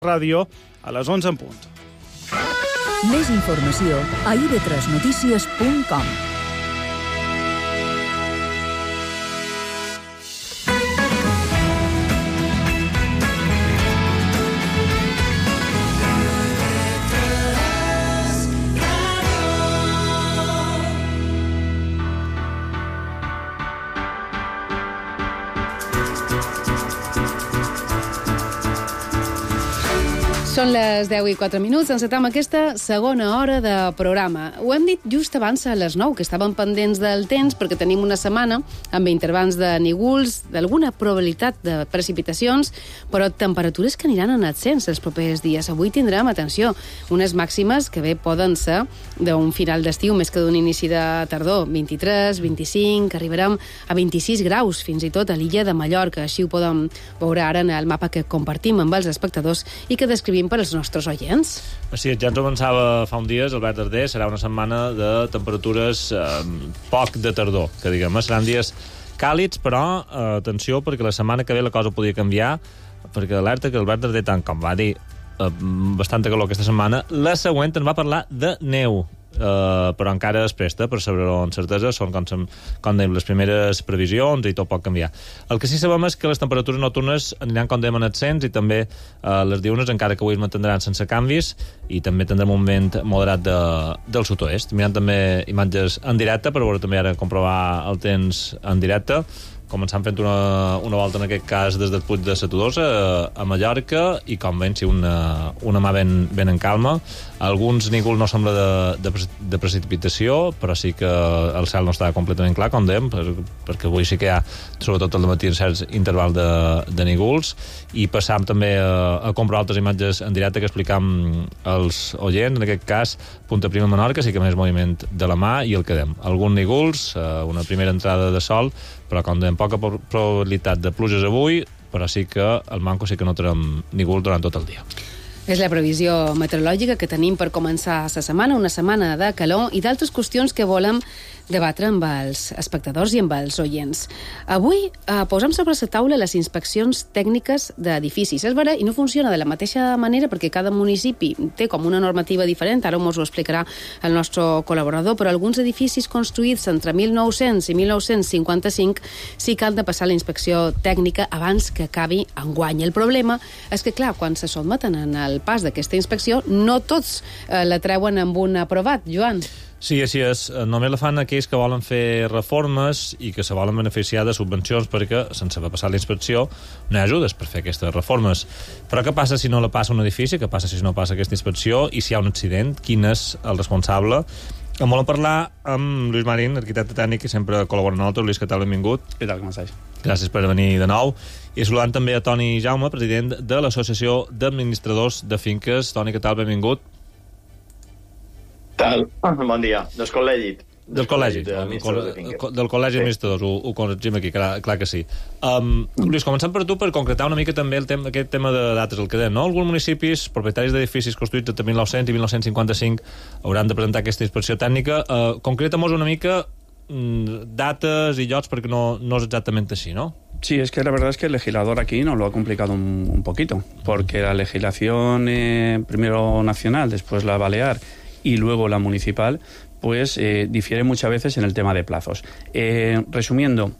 Ràdio a les 11 en punt. Més informació a ib3notícies.com. Són les 10:04, encetem aquesta segona hora de programa. Ho hem dit just abans a les 9, que estàvem pendents del temps perquè tenim una setmana amb intervals de nígols, d'alguna probabilitat de precipitacions, però temperatures que aniran en ascens els propers dies. Avui tindrem, atenció, unes màximes que bé poden ser d'un final d'estiu més que d'un inici de tardor. 23, 25, arribarem a 26 graus, fins i tot a l'illa de Mallorca. Així ho podem veure ara en el mapa que compartim amb els espectadors i que descrivim per als nostres oients. Sí, ja ens ho avançava fa uns dies, Albert Darder, serà una setmana de temperatures poc de tardor, que diguem, seran dies càlids, però atenció, perquè la setmana que ve la cosa podia canviar, perquè alerta que Albert Darder, tant com va dir, bastanta calor aquesta setmana, la següent ens va parlar de neu, però encara es presta per saber-ho amb certesa, són com dèiem les primeres previsions i tot pot canviar. El que sí sabem és que les temperatures nocturnes aniran com dèiem en ascens i també les diurnes, encara que avui es mantindran sense canvis, i també tindrem un vent moderat del sud-oest. Mirant també imatges en directe per veure també ara comprovar el temps en directe, començant fent una volta en aquest cas des del Puig de Setodosa a Mallorca, i com veiem, sí, una mà ben en calma. Alguns nígols no sembla de precipitació, però sí que el cel no està completament clar, com dèiem, perquè avui sí que hi ha, sobretot al matí, certs intervals de nígols, i passam també a comprovar altres imatges en directe que explicam als oients. En aquest cas, Punta Prima, Menorca, sí que més moviment de la mà, i el que dèiem, alguns nígols, una primera entrada de sol, però com dèiem, poca probabilitat de pluges avui, però sí que al manco sí que no tindrem nígols durant tot el dia. És la previsió meteorològica que tenim per començar la setmana, una setmana de calor i d'altres qüestions que volem debatre amb els espectadors i amb els oients. Avui posem sobre la taula les inspeccions tècniques d'edificis. És vera, i no funciona de la mateixa manera perquè cada municipi té com una normativa diferent, ara ens ho explicarà el nostre col·laborador, però alguns edificis construïts entre 1900 i 1955 sí que han de passar la inspecció tècnica abans que acabi enguany. El problema és que, clar, quan se sotmeten en el pas d'aquesta inspecció, no tots la treuen amb un aprovat. Joan? Sí, així és. Només la fan aquells que volen fer reformes i que se volen beneficiar de subvencions, perquè sense haver passat la inspecció no hi ha ajudes per fer aquestes reformes. Però què passa si no la passa un edifici? Què passa si no passa aquesta inspecció? I si hi ha un accident, quin és el responsable? En volem parlar amb Lluís Marín, arquitecte tècnic, que sempre col·labora amb nosaltres. Lluís, què tal? Benvingut. Què tal, com estàs? Gràcies per venir de nou. I saludant també a Toni Jaume, president de l'Associació d'Administradors de Finques. Toni, què tal? Benvingut. Bon dia. Del col·legi. Del col·legi d'administradors, ho corregim aquí, clar que sí. Lluís, començant per tu, per concretar una mica també aquest tema de dates, el que dèiem, no? Alguns municipis, propietaris d'edificis construïts entre 1900 i 1955, hauran de presentar aquesta inspecció tècnica. Concreta'm una mica dates y llocs, perquè no es exactamente así, ¿no? Sí, es que la verdad es que el legislador aquí nos lo ha complicado un poquito, porque la legislación primero nacional, después la balear y luego la municipal, pues difiere muchas veces en el tema de plazos. Resumiendo,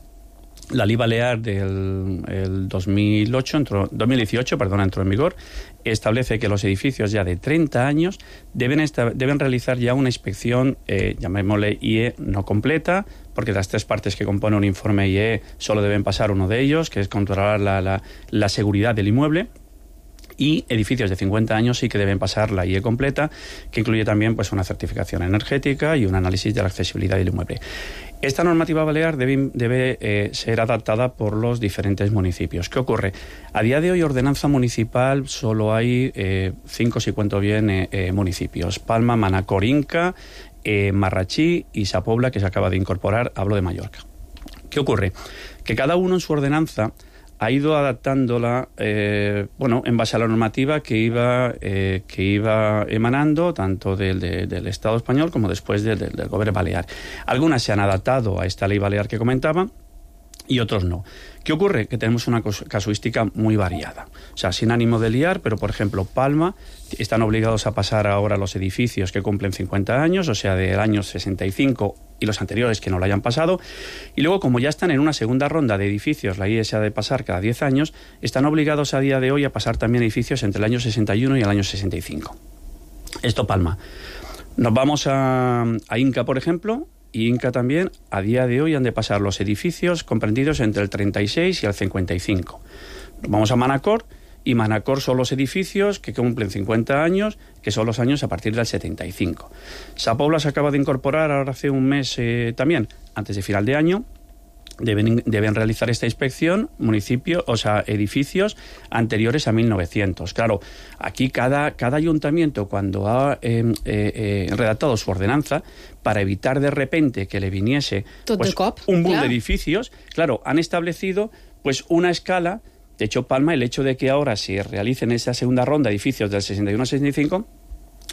la Ley Balear del 2018 entró en vigor, establece que los edificios ya de 30 años deben realizar ya una inspección, llamémosle IE no completa, porque de las tres partes que compone un informe IE solo deben pasar uno de ellos, que es controlar la seguridad del inmueble. Y edificios de 50 años sí que deben pasar la IE completa, que incluye también pues una certificación energética y un análisis de la accesibilidad del inmueble. Esta normativa balear debe ser adaptada por los diferentes municipios. ¿Qué ocurre? A día de hoy, ordenanza municipal, solo hay 5, si cuento bien, municipios. Palma, Manacor, Inca, Marrachí y Sa Pobla, que se acaba de incorporar. Hablo de Mallorca. ¿Qué ocurre? Que cada uno en su ordenanza ha ido adaptándola en base a la normativa que iba emanando tanto del Estado español como después del Gobierno balear. Algunas se han adaptado a esta ley balear que comentaba y otros no. ¿Qué ocurre? Que tenemos una casuística muy variada. O sea, sin ánimo de liar, pero por ejemplo, Palma están obligados a pasar ahora los edificios que cumplen 50 años, o sea, del año 65 y los anteriores que no lo hayan pasado. Y luego, como ya están en una segunda ronda de edificios, la IES ha de pasar cada 10 años, están obligados a día de hoy a pasar también edificios entre el año 61 y el año 65. Esto Palma. Nos vamos a Inca, por ejemplo, y Inca también, a día de hoy han de pasar los edificios comprendidos entre el 36 y el 55. Nos vamos a Manacor, y Manacor son los edificios que cumplen 50 años, que son los años a partir del 75. Sa Pobla se acaba de incorporar ahora hace un mes también, antes de final de año. Deben realizar esta inspección edificios anteriores a 1900. Claro, aquí cada ayuntamiento, cuando ha redactado su ordenanza, para evitar de repente que le viniese un boom de edificios, claro, han establecido pues una escala. De hecho, Palma, el hecho de que ahora se realicen esa segunda ronda de edificios del 61 al 65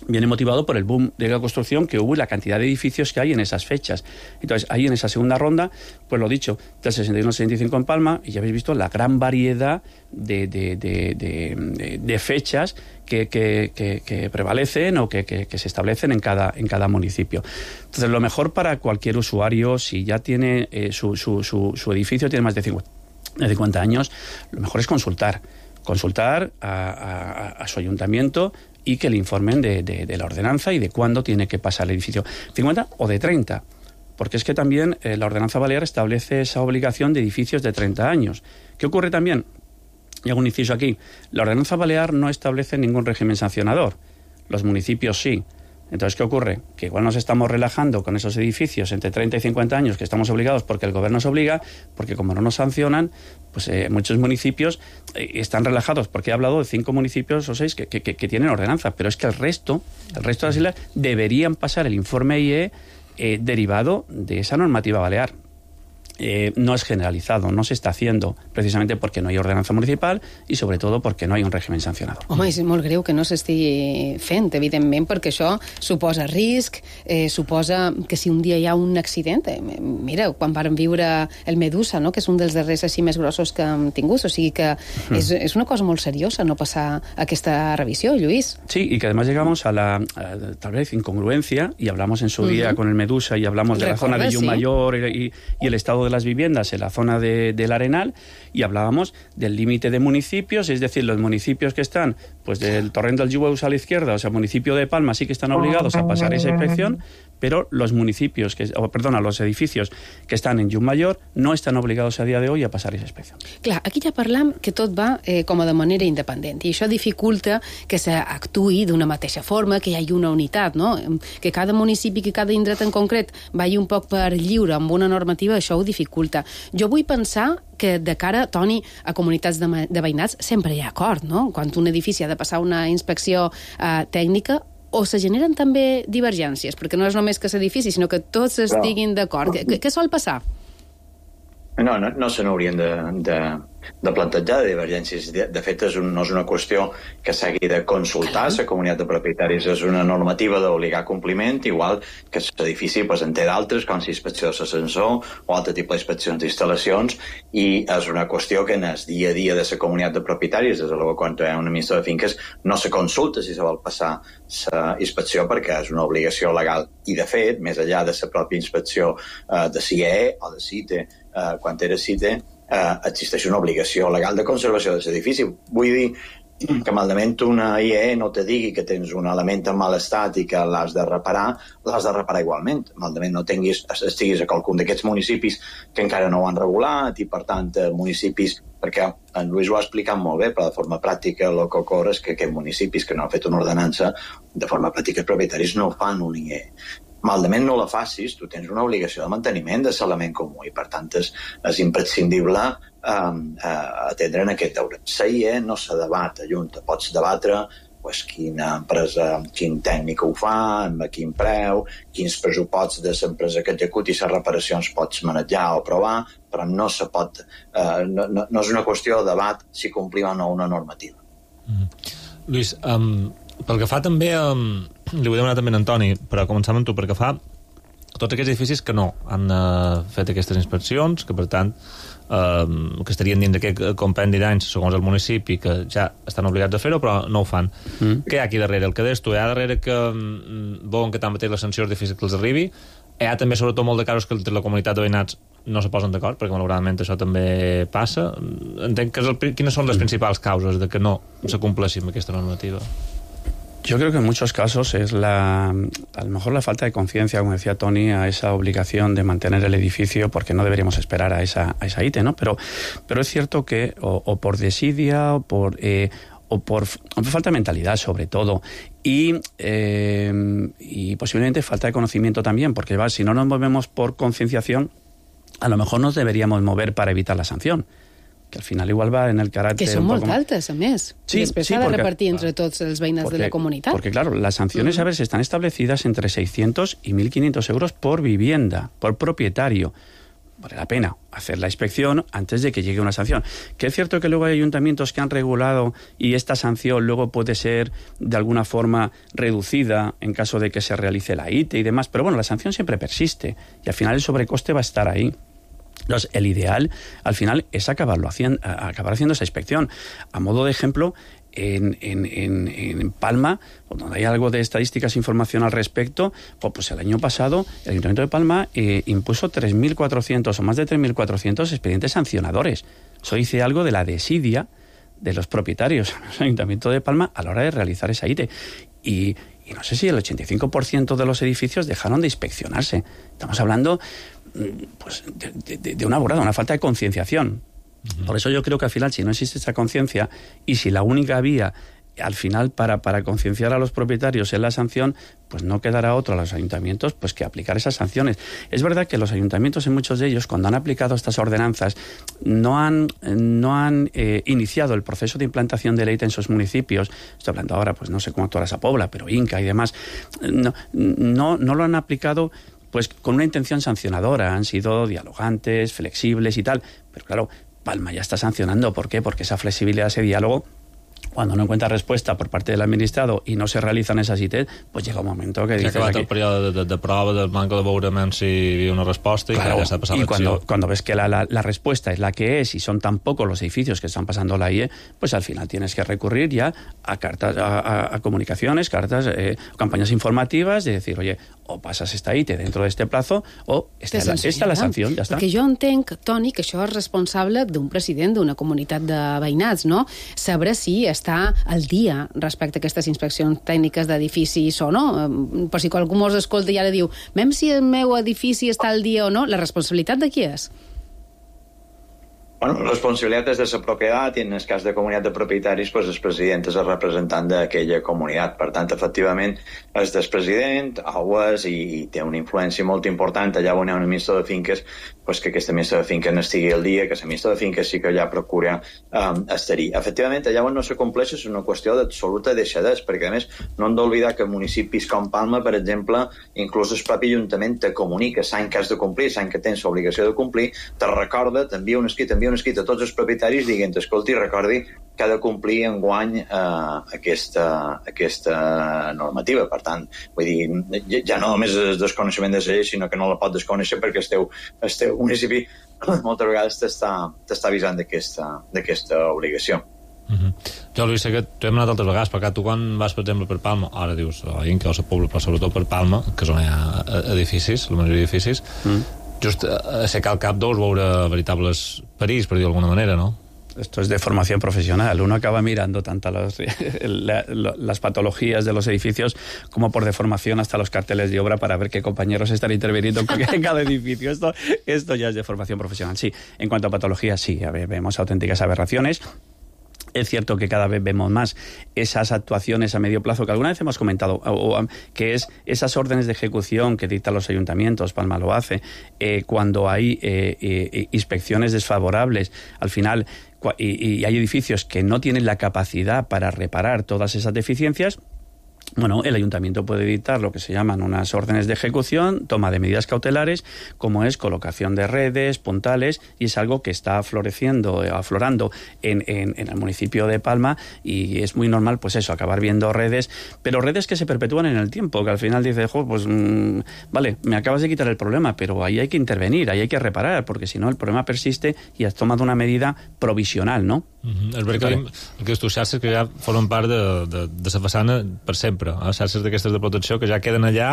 viene motivado por el boom de la construcción que hubo y la cantidad de edificios que hay en esas fechas. Entonces, ahí en esa segunda ronda, pues lo dicho, del 61 al 65 en Palma, y ya habéis visto la gran variedad de fechas que prevalecen o que se establecen en cada municipio. Entonces, lo mejor para cualquier usuario, si ya tiene su edificio, tiene más de 50 años, lo mejor es consultar a su ayuntamiento y que le informen de la ordenanza y de cuándo tiene que pasar el edificio. 50 o de 30, porque es que también la ordenanza balear establece esa obligación de edificios de 30 años. ¿Qué ocurre también? Y hago un inciso aquí. La ordenanza balear no establece ningún régimen sancionador. Los municipios sí. Entonces, ¿qué ocurre? Que igual nos estamos relajando con esos edificios entre 30 y 50 años que estamos obligados porque el gobierno nos obliga, porque como no nos sancionan, pues muchos municipios están relajados, porque he hablado de 5 municipios o 6 que tienen ordenanza, pero es que el resto de las islas deberían pasar el informe IE derivado de esa normativa balear. No es generalizado, no se està haciendo precisamente porque no hi ha ordenança municipal i sobretot perquè no hi ha un règim sancionador. Home, és molt greu que no s'estigui fent, evidentment, perquè això suposa risc, suposa que si un dia hi ha un accident, mira, quan vàrem viure el Medusa, no?, que és un dels darrers així més grossos que hem tingut, o sigui que és una cosa molt seriosa no passar aquesta revisió, Lluís. Sí, y que además llegamos a la tal vez incongruencia, y hablamos en su día con el Medusa, y hablamos de la zona de Llummayor y el estado de las viviendas en la zona del Arenal, y hablábamos del límite de municipios, es decir, los municipios que están pues del Torrent del Jueus a la izquierda, o sea, municipio de Palma, sí que están obligados a pasar esa inspección, pero los los edificios que están en Llummayor no están obligados a día de hoy a pasar esa inspección. Clar, aquí ja parlam que tot va com a de manera independent, i això dificulta que s'actuï d'una mateixa forma, que hi hagi una unitat, no? Que cada municipi, que cada indret en concret vagi un poc per lliure amb una normativa, això ho dificulta. Jo vull pensar que de cara, Toni, a comunitats de veïnats sempre hi ha acord, no? Quan un edifici ha de passar una inspecció tècnica, o se generen també divergències, perquè no és només que l'edifici, sinó que tots estiguin d'acord. Què sol passar? No se n'haurien de plantejar de divergències. De fet, no és una qüestió que s'hagi de consultar. La comunitat de propietaris és una normativa d'obligar compliment, igual que l'edifici en té d'altres, com la inspecció de l'ascensor o altre tipus d'inspeccions d'instal·lacions, i és una qüestió que en el dia a dia de la comunitat de propietaris, des de l'hora quan hi ha un administrador de finques, no se consulta si se vol passar la inspecció perquè és una obligació legal. I, de fet, més enllà de la pròpia inspecció de CIE o de CITE, quan era CITE, existeix una obligació legal de conservació de l'edifici. Vull dir que malament una IE no te digui que tens un element en mal estat i que l'has de reparar igualment. Malament no estiguis a qualcun d'aquests municipis que encara no ho han regulat, i per tant municipis, perquè en Lluís ho ha explicat molt bé, però de forma pràctica el que ocorre és que aquests municipis que no han fet una ordenança, de forma pràctica els propietaris no fan un IE. Malament no la facis, tu tens una obligació de manteniment de l'element comú, i per tant és imprescindible atendre en aquest deure. La IE no se debat a Junta, pots debatre quina empresa, quin tècnic ho fa, amb quin preu, quins pressuposts de l'empresa que executi les reparacions pots manejar o provar, però no se pot, no és una qüestió de debat si complim o no una normativa. Lluís, pel que fa també, li vull demanar també a Antoni, però començar amb tu, perquè fa tots aquests edificis que no han fet aquestes inspeccions, que per tant que estarien dins d'aquest compendi d'anys segons el municipi, que ja estan obligats a fer-ho però no ho fan. Què hi ha aquí darrere? El que deies tu, hi ha darrere que volen que tanmateix la sanció és difícil que els arribi, hi ha també sobretot molt de casos que entre la comunitat de veïnats no se posen d'acord, perquè malauradament això també passa. Entenc que quines són les principals causes de que no se compleixi amb aquesta normativa? Yo creo que en muchos casos es a lo mejor la falta de conciencia, como decía Tony, a esa obligación de mantener el edificio, porque no deberíamos esperar a esa ITE, ¿no? Pero es cierto que o por desidia o por falta de mentalidad, sobre todo, y posiblemente falta de conocimiento también, porque si no nos movemos por concienciación, a lo mejor nos deberíamos mover para evitar la sanción, que al final igual va en el carácter... Que són molt altes, a més. Sí, després s'ha de repartir entre tots els veïnats de la comunitat. Porque claro, las sanciones, a ver, están establecidas entre 600 y 1.500 euros por vivienda, por propietario. Vale la pena hacer la inspección antes de que llegue una sanción. Que es cierto que luego hay ayuntamientos que han regulado y esta sanción luego puede ser de alguna forma reducida en caso de que se realice la ITE y demás, pero bueno, la sanción siempre persiste y al final el sobrecoste va a estar ahí. Entonces, el ideal, al final, es acabar haciendo esa inspección. A modo de ejemplo, en Palma, donde hay algo de estadísticas e información al respecto, pues el año pasado el Ayuntamiento de Palma impuso 3.400 o más de 3.400 expedientes sancionadores. Eso dice algo de la desidia de los propietarios del Ayuntamiento de Palma a la hora de realizar esa ITE. Y no sé si el 85% de los edificios dejaron de inspeccionarse. Estamos hablando pues de una burrada, una falta de concienciación. Por eso yo creo que al final, si no existe esa conciencia y si la única vía al final para concienciar a los propietarios es la sanción, pues no quedará otro a los ayuntamientos pues que aplicar esas sanciones. Es verdad que los ayuntamientos, en muchos de ellos, cuando han aplicado estas ordenanzas, no han iniciado el proceso de implantación de ley en sus municipios. Estoy hablando ahora, pues no sé cómo actuará esa Pobla, pero Inca y demás. No lo han aplicado pues con una intención sancionadora. Han sido dialogantes, flexibles y tal. Pero claro, Palma ya está sancionando. ¿Por qué? Porque esa flexibilidad, ese diálogo, cuando no encuentra respuesta por parte del administrado y no se realizan esas ITES, pues llega un momento que dices... Ja ha acabat el període de prova, del manco de veurement si hi havia una resposta, claro, y ya se ha pasado l'acció. Cuando ves que la respuesta es la que es y son tan pocos los edificios que están pasando la IE, pues al final tienes que recurrir ya a cartas, a comunicaciones, cartas, campañas informativas, de decir, oye, o pasas esta ITE dentro de este plazo o esta la sanció, ja està. Perquè jo entenc, Toni, que això és responsable d'un president d'una comunitat de veïnats, no? Saber si està al dia respecte a aquestes inspeccions tècniques d'edificis o no. Per si algú mos escolta i ara diu, mem si el meu edifici està al dia o no, la responsabilitat de qui és? Bueno, la responsabilitat és de la propietat i en el cas de comunitat de propietaris pues el president és el representant d'aquella comunitat. Per tant, efectivament, és del president, i té una influència molt important allà on hi ha un administrador de finques, pues que aquesta administrador de finques no estigui al dia, que l'administrador de finques sí que allà procura estar-hi. Efectivament, allà on no se compleix és una qüestió d'absoluta deixadesa, perquè a més no hem d'oblidar que municipis com Palma, per exemple, inclús el propi Ajuntament te comunica l'any que has de complir, l'any que tens l'obligació de complir, te recorda, t'envia un escrit a tots els propietaris dient, escolti, recordi que ha de complir enguany aquesta normativa. Per tant, vull dir, ja no només és desconeixement de la llei, sinó que no la pot desconèixer perquè el teu municipi moltes vegades t'està avisant d'aquesta obligació. Jo, Lluís, sé que t'ho hem anat altres vegades, perquè tu quan vas, per exemple, per Palma, ara dius a Inca o a Pobla, però sobretot per Palma, que és on hi ha edificis, la majoria d'edificis, just aixecar el cap deus veure veritables perills, per dir d'alguna manera, ¿no? Esto es de formación profesional. Uno acaba mirando tanto las patologías de los edificios como por deformación hasta los carteles de obra para ver qué compañeros están interviniendo en cada edificio. Esto ya es de formación profesional. Sí, en cuanto a patologías, sí, vemos auténticas aberraciones. Es cierto que cada vez vemos más esas actuaciones a medio plazo que alguna vez hemos comentado, que es esas órdenes de ejecución que dictan los ayuntamientos, Palma lo hace, cuando hay inspecciones desfavorables, al final, y hay edificios que no tienen la capacidad para reparar todas esas deficiencias, Bueno, el ayuntamiento puede dictar lo que se llaman unas órdenes de ejecución, toma de medidas cautelares, como es colocación de redes, puntales, y es algo que está aflorando en el municipio de Palma, y es muy normal, pues eso, acabar viendo redes, pero redes que se perpetúan en el tiempo, que al final dices, vale, me acabas de quitar el problema, pero ahí hay que intervenir, ahí hay que reparar, porque si no el problema persiste i has tomat una medida provisional, no? És veritat que aquestes xarxes que ja formen part de la façana per sempre, xarxes d'aquestes de protecció que ja queden allà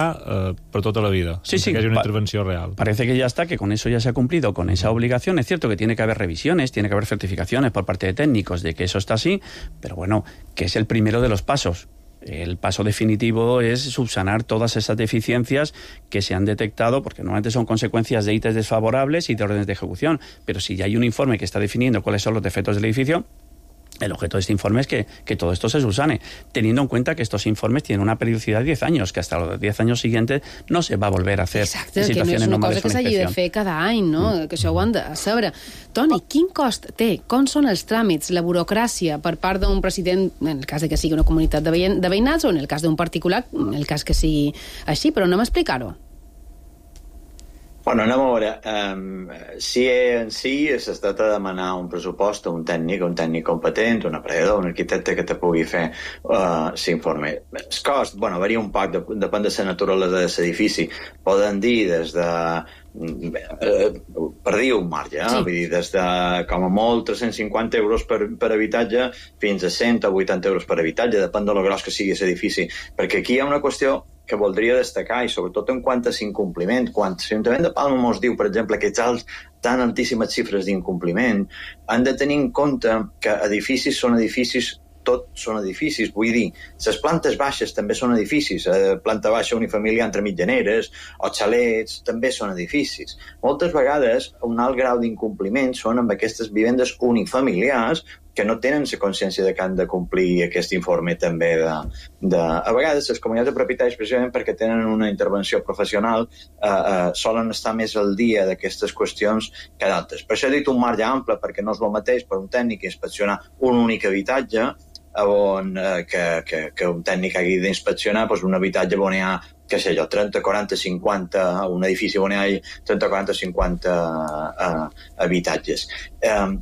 per tota la vida, sense que hagi una intervenció real. Parece que ya está, que con eso ya se ha cumplido con esa obligación. Es cierto que tiene que haber revisiones, tiene que haber certificaciones por parte de técnicos de que eso está así, pero bueno, que es el primero de los pasos. El paso definitivo es subsanar todas esas deficiencias que se han detectado, porque normalmente son consecuencias de ítems desfavorables y de órdenes de ejecución. Pero si ya hay un informe que está definiendo cuáles son los defectos del edificio, el objeto de este informe es que todo esto se subsane, teniendo en cuenta que estos informes tienen una periodicidad de 10 años, que hasta los 10 anys siguientes no se va a volver a hacer. Exacte, que no és una cosa que s'hagi de fer cada any, no? Que això ho han de saber. Toni, quin cost té? Com són els tràmits, la burocràcia per part d'un president, en el cas de que sigui una comunitat de veïnats, o en el cas d'un particular, en el cas que sigui així, però anem a explicar-ho. Bueno, anem a veure. Si en si es tracta de demanar un pressupost a un tècnic competent, un aprenedor, un arquitecte que te pugui fer l'informe. El cost, bueno, varia un poc, depèn de la naturalesa de l'edifici. Poden dir des de per dir un marge, vull dir, des de com a molt 350 euros per habitatge fins a 100 o 80 euros per habitatge, depèn de lo gros que sigui l'edifici, perquè aquí hi ha una qüestió que voldria destacar, i sobretot en quant a l'incompliment. Quan l'Ajuntament de Palma ens diu, per exemple, que tan altíssimes xifres d'incompliment, han de tenir en compte que edificis són edificis, tot són edificis, vull dir, les plantes baixes també són edificis, planta baixa unifamiliar entre mitjaneres o xalets també són edificis. Moltes vegades un alt grau d'incompliment són amb aquestes vivendes unifamiliars que no tenen la consciència de que han de complir aquest informe també a vegades les comunitats de propietaris, precisament perquè tenen una intervenció professional, solen estar més al dia d'aquestes qüestions que d'altres. Per això he dit un marge ample, perquè no és el mateix per un tècnic inspeccionar un únic habitatge que un tècnic hagi d'inspeccionar un habitatge on hi ha, què sé jo, 30, 40, 50, un edifici on hi ha 30, 40, 50 habitatges.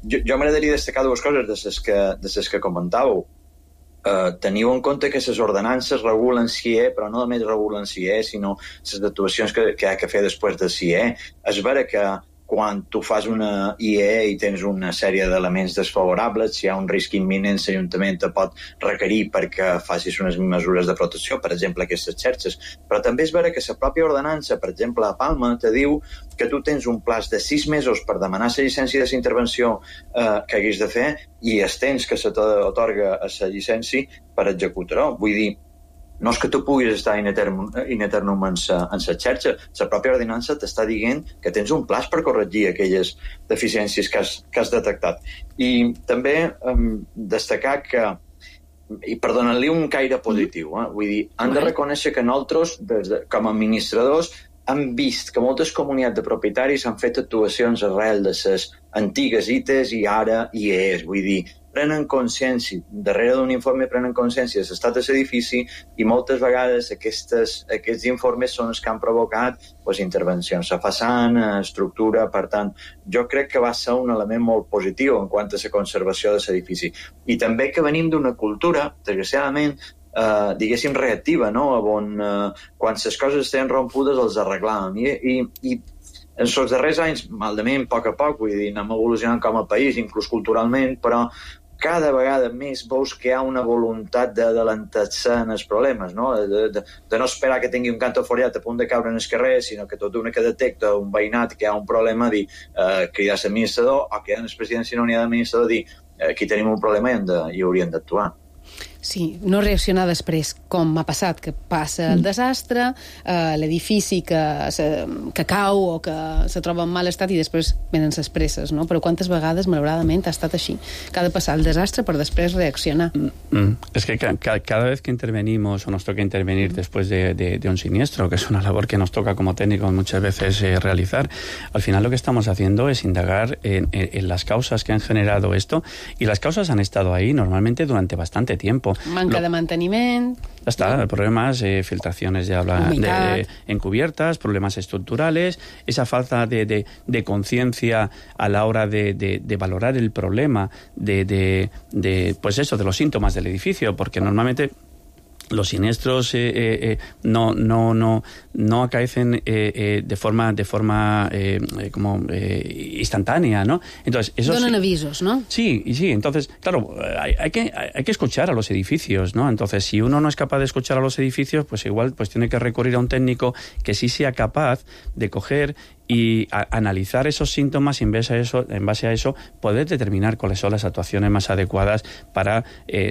Jo m'agradaria destacar dues coses de les que comentàveu. Teniu en compte que les ordenances regulen CIE, però no només regulen CIE, sinó les actuacions que hi ha que fer després de CIE. És vera que quan tu fas una IE i tens una sèrie d'elements desfavorables, si hi ha un risc imminent, l'Ajuntament te pot requerir perquè facis unes mesures de protecció, per exemple, aquestes xarxes. Però també és vera que la pròpia ordenança, per exemple, a Palma, te diu que tu tens un plaç de 6 mesos per demanar la llicència de la intervenció que haguis de fer i els temps que se t'atorga a la llicència per executar-ho. Vull dir, no és que tu puguis estar in eternum en la xarxa, la pròpia ordenança t'està dient que tens un plaç per corregir aquelles deficiències que has detectat. I també destacar que, i per donar-li un caire positiu, vull dir, han de reconèixer que nosaltres, com a administradors, hem vist que moltes comunitats de propietaris han fet actuacions arrel de les antigues ITES i ara IEs, vull dir, prenen consciència, darrere d'un informe prenen consciència de l'estat de l'edifici i moltes vegades aquests informes són els que han provocat intervencions a façana, a estructura. Per tant, jo crec que va ser un element molt positiu en quant a la conservació de l'edifici. I també que venim d'una cultura, desgraciadament, diguéssim, reactiva, no? On quan les coses estaven rompudes els arreglàvem. I en els darrers anys, malament, a poc, vull dir, anem evolucionant com a país, inclús culturalment, però cada vegada més veus que hi ha una voluntat d'adelantar-se en els problemes, no? De no esperar que tingui un canto foriat a punt de caure en el carrer, sinó que tot una que detecta un veïnat que hi ha un problema, dir, cridar l'administrador, o que en el president, si no n'hi ha d'administrador, dir, aquí tenim un problema i hauríem d'actuar. Sí, no reaccionar després, com m'ha passat, que passa el desastre, l'edifici que cau o que se troba en mal estat i després venen les presses, no? Però quantes vegades, malauradament, ha estat així, que ha de passar el desastre per després reaccionar. Es que cada vez que intervenimos o nos toca intervenir después de un siniestro, que es una labor que nos toca como técnicos muchas veces realizar, al final lo que estamos haciendo es indagar en las causas que han generado esto, y las causas han estado ahí normalmente durante bastante tiempo. Manca de manteniment. Está, el problema es filtraciones de habla encubiertas, problemas estructurales, esa falta de conciencia a la hora de valorar el problema, pues eso, de los síntomas del edificio, porque normalmente los siniestros no acaecen de forma instantánea, ¿no? Entonces, eso donan avisos, ¿no? Sí. Entonces, claro, hay que escuchar a los edificios, ¿no? Entonces, si uno no es capaz de escuchar a los edificios, pues igual pues tiene que recurrir a un técnico que sí sea capaz de coger y analizar esos síntomas y en base a eso poder determinar cuáles son las actuaciones más adecuadas para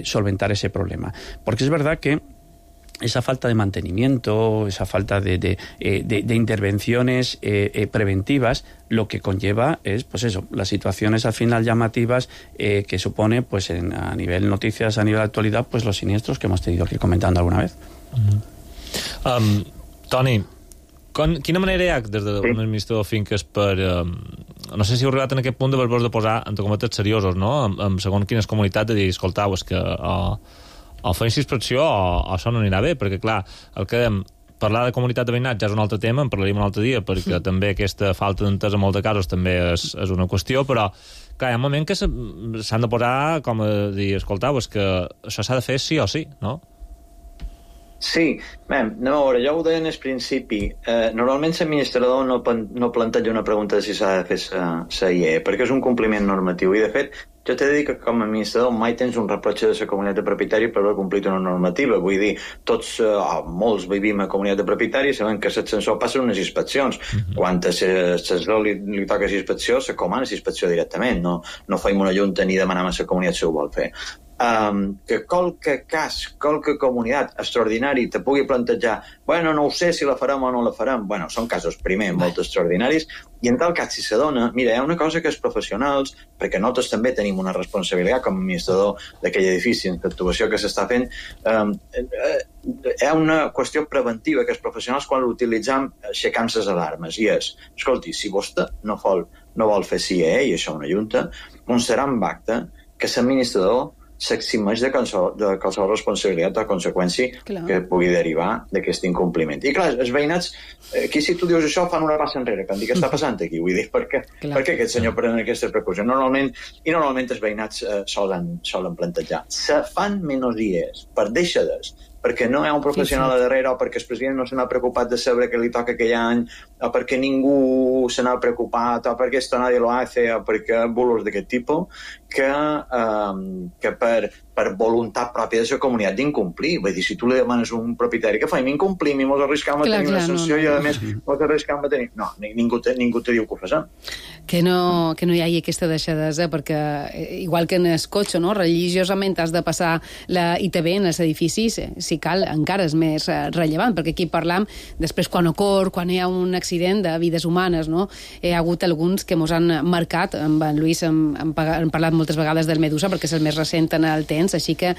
solventar ese problema. Porque es verdad que esa falta de mantenimiento, esa falta de intervenciones preventivas, lo que conlleva es, pues eso, las situaciones al final llamativas que supone, pues a nivel noticias, a nivel actualidad, pues los siniestros que hemos tenido que ir comentando alguna vez. Toni, quina manera hi ha des d'un administrador de finques per... no sé si heu arribat en aquest punt de vos de posar, entre cometes, seriosos, no? Segons quines comunitats, de dir, escoltau, és que o fem inspecció o això no anirà bé, perquè, clar, el que dèiem, parlar de comunitat de veïnat ja és un altre tema, en parlaríem un altre dia, perquè també aquesta falta d'entesa en molts casos també és una qüestió, però, clar, hi ha un moment que s'han de posar, com a dir, escoltau, és que això s'ha de fer sí o sí, no? Sí, bé, anem a veure, ja ho deia en el principi. Normalment l'administrador no planteja una pregunta de si s'ha de fer la IE, perquè és un compliment normatiu. I, de fet, jo t'he de dir que com a administrador mai tens un reproche de la comunitat de propietaris per haver complit una normativa. Vull dir, tots, molts vivim a comunitat de propietaris, sabem que l'ascensor passa unes inspeccions. Quan a l'ascensor li toca la inspecció, se comana la inspecció directament. No fem una junta ni demanem a la comunitat si ho vol fer. Que qualque cas, qualque comunitat extraordinari te pugui plantejar, bueno, no ho sé si la farem o no la farem. Bueno, són casos, primer, molt extraordinaris, i en tal cas, si se dona, mira, hi ha una cosa que els professionals, perquè nosaltres també tenim una responsabilitat com a administrador d'aquell edifici en l'actuació que s'està fent, hi ha una qüestió preventiva que els professionals, quan l'utilitzem, aixecam les alarmes, i és, escolti, si vostè no vol fer CIE, i això una junta, constarà en acte que l'administrador s'eximeix de qualsevol responsabilitat o conseqüència que pugui derivar d'aquest incompliment. I clar, els veïnats, aquí si tu dius això, fan una passa enrere, que em dic, què està passant aquí? Vull dir, per què aquest senyor pren aquesta precaució? Normalment els veïnats solen plantejar. Se fan menys dies per deixades, perquè no hi ha un professional a darrere o perquè el president no se n'ha preocupat de saber què li toca aquell any o perquè ningú se n'ha preocupat o perquè esto nadie lo hace o perquè bulos d'aquest tipus que per voluntat pròpia de la comunitat d'incomplir. Vull dir, si tu li demanes a un propietari que fem, incomplim i mos arriscam a tenir una sanció i a més mos arriscam a tenir... No, ningú te diu que ho fas. Que no hi hagi aquesta deixadesa, perquè igual que en el cotxe, no? Religiosament has de passar la ITV en els edificis, si cal, encara és més rellevant, perquè aquí parlam després quan hi ha un accident de vides humanes, no? Hi ha hagut alguns que mos han marcat, amb en Lluís hem parlat moltes vegades del Medusa, perquè és el més recent en el temps, així que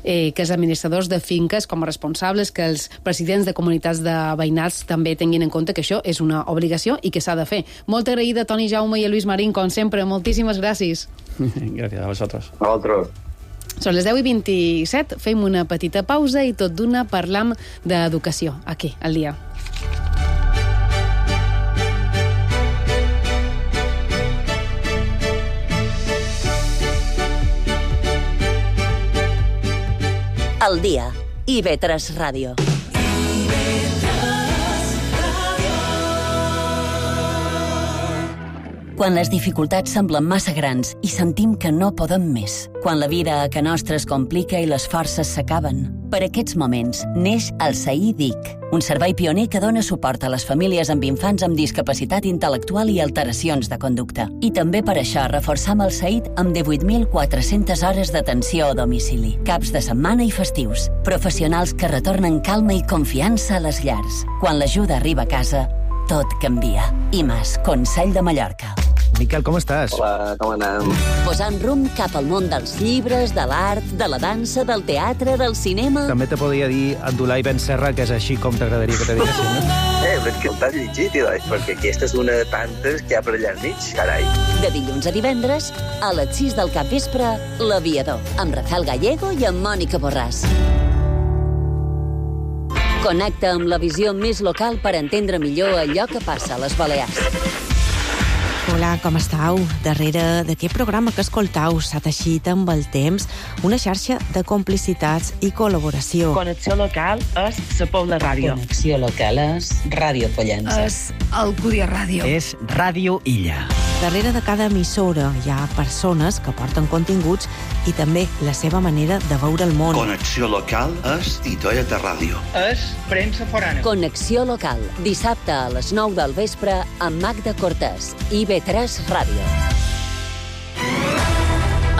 els administradors de finques com a responsables, que els presidents de comunitats de veïnats també tinguin en compte que això és una obligació i que s'ha de fer. Molt agraïda, Toni Jaume i a Lluís Marín, com sempre. Moltíssimes gràcies. Gràcies a vosaltres. A vosaltres. Són les 10:27, fem una petita pausa i tot d'una parlam d'educació, aquí, al dia. Al dia, IB3 Ràdio. Quan les dificultats semblen massa grans i sentim que no podem més. Quan la vida a ca nostra es complica i les forces s'acaben. Per aquests moments neix el SAI DIC, un servei pioner que dona suport a les famílies amb infants amb discapacitat intel·lectual i alteracions de conducta. I també per això reforçam el SAID amb 18.400 hores d'atenció a domicili, caps de setmana i festius. Professionals que retornen calma i confiança a les llars. Quan l'ajuda arriba a casa, tot canvia. IMAS, Consell de Mallorca. Miquel, com estàs? Hola, com anem? Posant rumb cap al món dels llibres, de l'art, de la dansa, del teatre, del cinema... També te podria dir Abdulai Ben Serra, que és així com t'agradaria que te diguessin, no? Però és que t'has llegit, perquè aquesta és una de tantes que hi ha per allà al mig, carai. De dilluns a divendres, a les 6 del cap vespre, L'Aviador, amb Rafael Gallego i amb Mònica Borràs. Connecta amb la visió més local per entendre millor allò que passa a les Balears. Hola, com estàu? Darrere d'aquest programa que escoltau s'ha teixit amb el temps una xarxa de complicitats i col·laboració. Connexió local és la Pobla Ràdio. Connexió local és Ràdio Pollença. És Alcúdia Ràdio. És Ràdio Illa. Darrere de cada emissora hi ha persones que porten continguts i també la seva manera de veure el món. Connexió local és Titoeta Ràdio. És premsa forana. Connexió local, dissabte a les 9 del vespre amb Magda Cortés, IB3 Ràdio.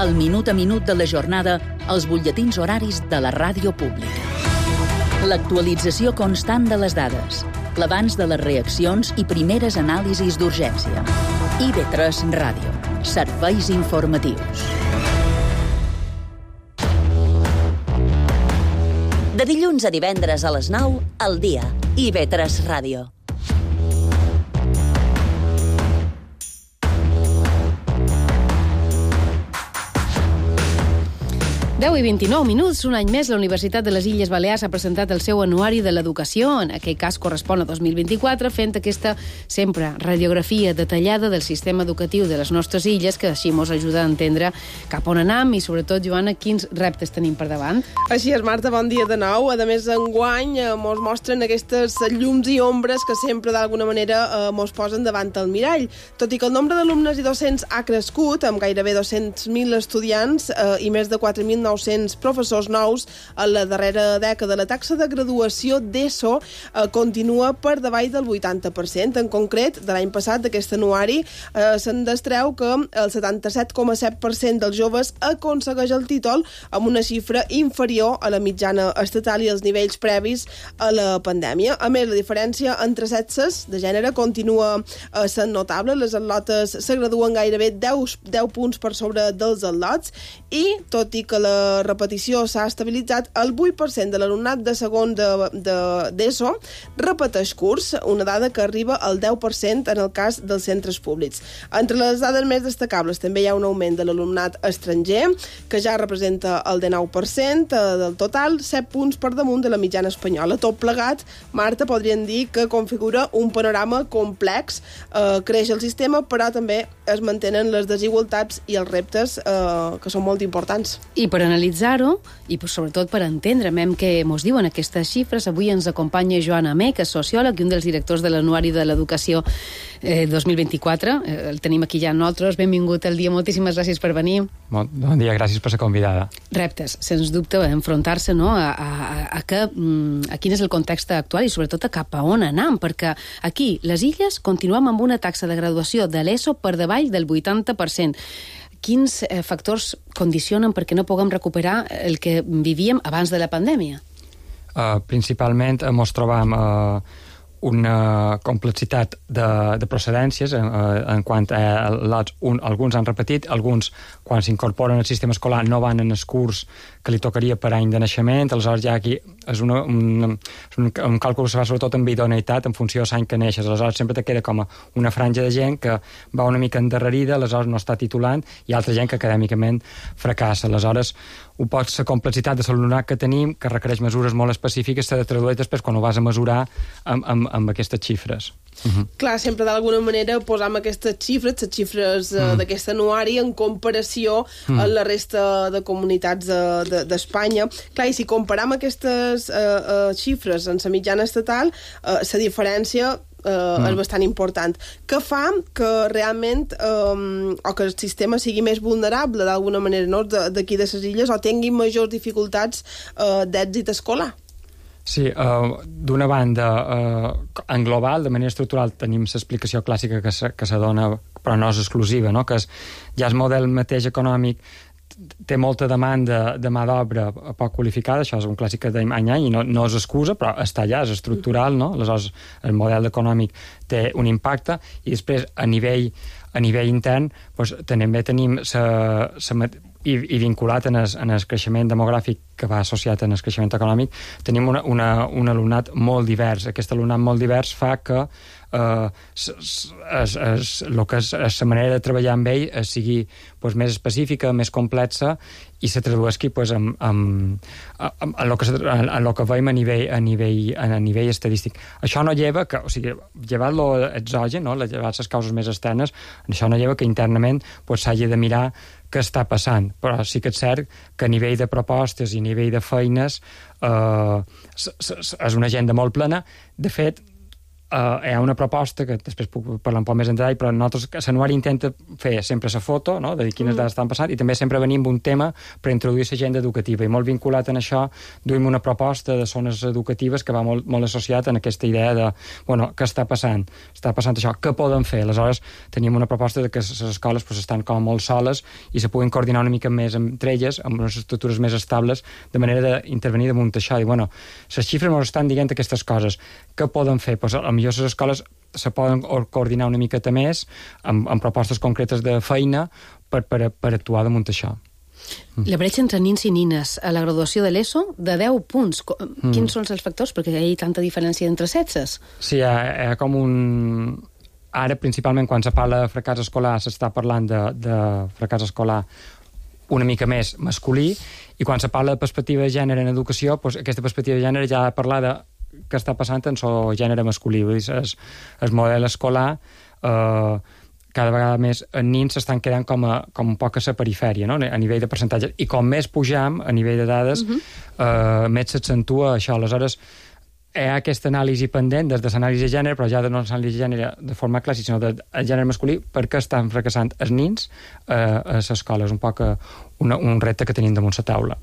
El minut a minut de la jornada, els butlletins horaris de la ràdio pública. L'actualització constant de les dades, l'abans de les reaccions i primeres anàlisis d'urgència. IB3 Ràdio. Serveis informatius. De dilluns a divendres a les 9, al dia. IB3 Ràdio. Deu i 29 minuts, un any més, la Universitat de les Illes Balears ha presentat el seu anuari de l'educació, en aquell cas correspon a 2024, fent aquesta sempre radiografia detallada del sistema educatiu de les nostres illes, que així ens ajuda a entendre cap on anem i, sobretot, Joana, quins reptes tenim per davant. Així és, Marta, bon dia de nou. A més, enguany ens mostren aquestes llums i ombres que sempre, d'alguna manera, ens posen davant el mirall. Tot i que el nombre d'alumnes i docents ha crescut, amb gairebé 200.000 estudiants i més de 4.900 professors nous a la darrera dècada, la taxa de graduació d'ESO continua per davall del 80%. En concret, de l'any passat, d'aquest anuari, se'n destreu que el 77,7% dels joves aconsegueix el títol amb una xifra inferior a la mitjana estatal i els nivells previs a la pandèmia. A més, la diferència entre sexes de gènere continua sent notable. Les atlotes se graduen gairebé 10 punts per sobre dels atlots i, tot i que la repetició s'ha estabilitzat, el 8% de l'alumnat de segon d'ESO repeteix curs, una dada que arriba al 10% en el cas dels centres públics. Entre les dades més destacables també hi ha un augment de l'alumnat estranger, que ja representa el 19% del total, 7 punts per damunt de la mitjana espanyola. Tot plegat, Marta, podríem dir que configura un panorama complex. Creix el sistema, però també es mantenen les desigualtats i els reptes que són molt importants. I per analitzar-ho, i sobretot per entendre què ens diuen aquestes xifres, avui ens acompanya Joan Amé, que és sociòleg i un dels directors de l'Anuari de l'Educació 2024. El tenim aquí ja nosaltres. Benvingut al dia, moltíssimes gràcies per venir. Bon dia, gràcies per ser convidada. Reptes, sens dubte, enfrontar-se a quin és el context actual i sobretot a cap a on anem, perquè aquí, les illes, continuem amb una taxa de graduació de l'ESO per davall del 80%. Quins factors condicionen perquè no puguem recuperar el que vivíem abans de la pandèmia? Principalment ens trobam una complexitat de procedències en quant a lots. Alguns han repetit, alguns, quan s'incorporen al sistema escolar, no van en el curs que li tocaria per any de naixement. Aleshores, ja aquí és un càlcul que se fa sobretot amb idoneïtat en funció de l'any que neixes. Aleshores, sempre te queda com una franja de gent que va una mica endarrerida, aleshores no està titulant, i altra gent que acadèmicament fracassa. Aleshores, la complexitat de l'alumnat que tenim, que requereix mesures molt específiques, s'ha de traduir després quan ho vas a mesurar amb aquestes xifres. Clar, sempre d'alguna manera posam aquestes xifres, les xifres d'aquest anuari, en comparació a la resta de comunitats d'Espanya. Clar, i si comparam aquestes xifres en la mitjana estatal, la diferència és bastant important. Què fa que realment o que el sistema sigui més vulnerable d'alguna manera, no? D'aquí de les illes, o tinguin majors dificultats d'èxit escolar? Sí, d'una banda, en global, de manera estructural, tenim l'explicació clàssica que se dona, però no és exclusiva, no? Que ja el model mateix econòmic té molta demanda de mà d'obra poc qualificada, això és un clàssic que dèiem any a any, i no és excusa, però està allà, és estructural, no? Aleshores, el model econòmic té un impacte, i després, a nivell intern, doncs, també tenim i vinculat en el creixement demogràfic que va associat en el creixement econòmic, tenim un alumnat molt divers. Aquest alumnat molt divers fa que la manera de treballar amb ell sigui més específica, més complexa, i se tradueixi en el que veiem a nivell estadístic. Això no lleva que, o sigui, llevat l'exogen, no? Llevat les causes més externes, això no lleva que internament s'hagi de mirar què està passant, però sí que és cert que a nivell de propostes i a nivell de feines és una agenda molt plena. De fet, hi ha una proposta, que després puc parlar un poc més en detall, però nosaltres, l'anuari intenta fer sempre la foto, no?, de dir quines dades estan passant, i també sempre venim amb un tema per introduir l'agenda educativa, i molt vinculat en això duim una proposta de zones educatives que va molt associat en aquesta idea de, què està passant? Està passant això, què poden fer? Aleshores, teníem una proposta de que les escoles estan com molt soles i se puguin coordinar una mica més entre elles, amb unes estructures més estables, de manera d'intervenir damunt això, i les xifres ens estan dient aquestes coses, què poden fer? Millor les escoles se poden coordinar una miqueta més amb propostes concretes de feina per actuar damunt això. La bretxa entre nins i nines a la graduació de l'ESO, de 10 punts. Quins són els factors? Perquè hi ha tanta diferència entre sexes. Sí, hi ha com un... Ara, principalment, quan se parla de fracàs escolar, s'està parlant de fracàs escolar una mica més masculí, i quan se parla de perspectiva de gènere en educació, aquesta perspectiva de gènere ja ha de parlar de què està passant en el gènere masculí. Vull dir, el model escolar cada vegada més en nins s'estan quedant com un poc a la perifèria, no?, a nivell de percentatges, i com més pujam a nivell de dades, més s'accentua això. Aleshores, hi ha aquesta anàlisi pendent des de l'anàlisi de gènere, però ja no l'anàlisi de gènere de forma clàssica, sinó del gènere masculí, perquè estan fracassant els nins a l'escola. És un poc un repte que tenim damunt la taula.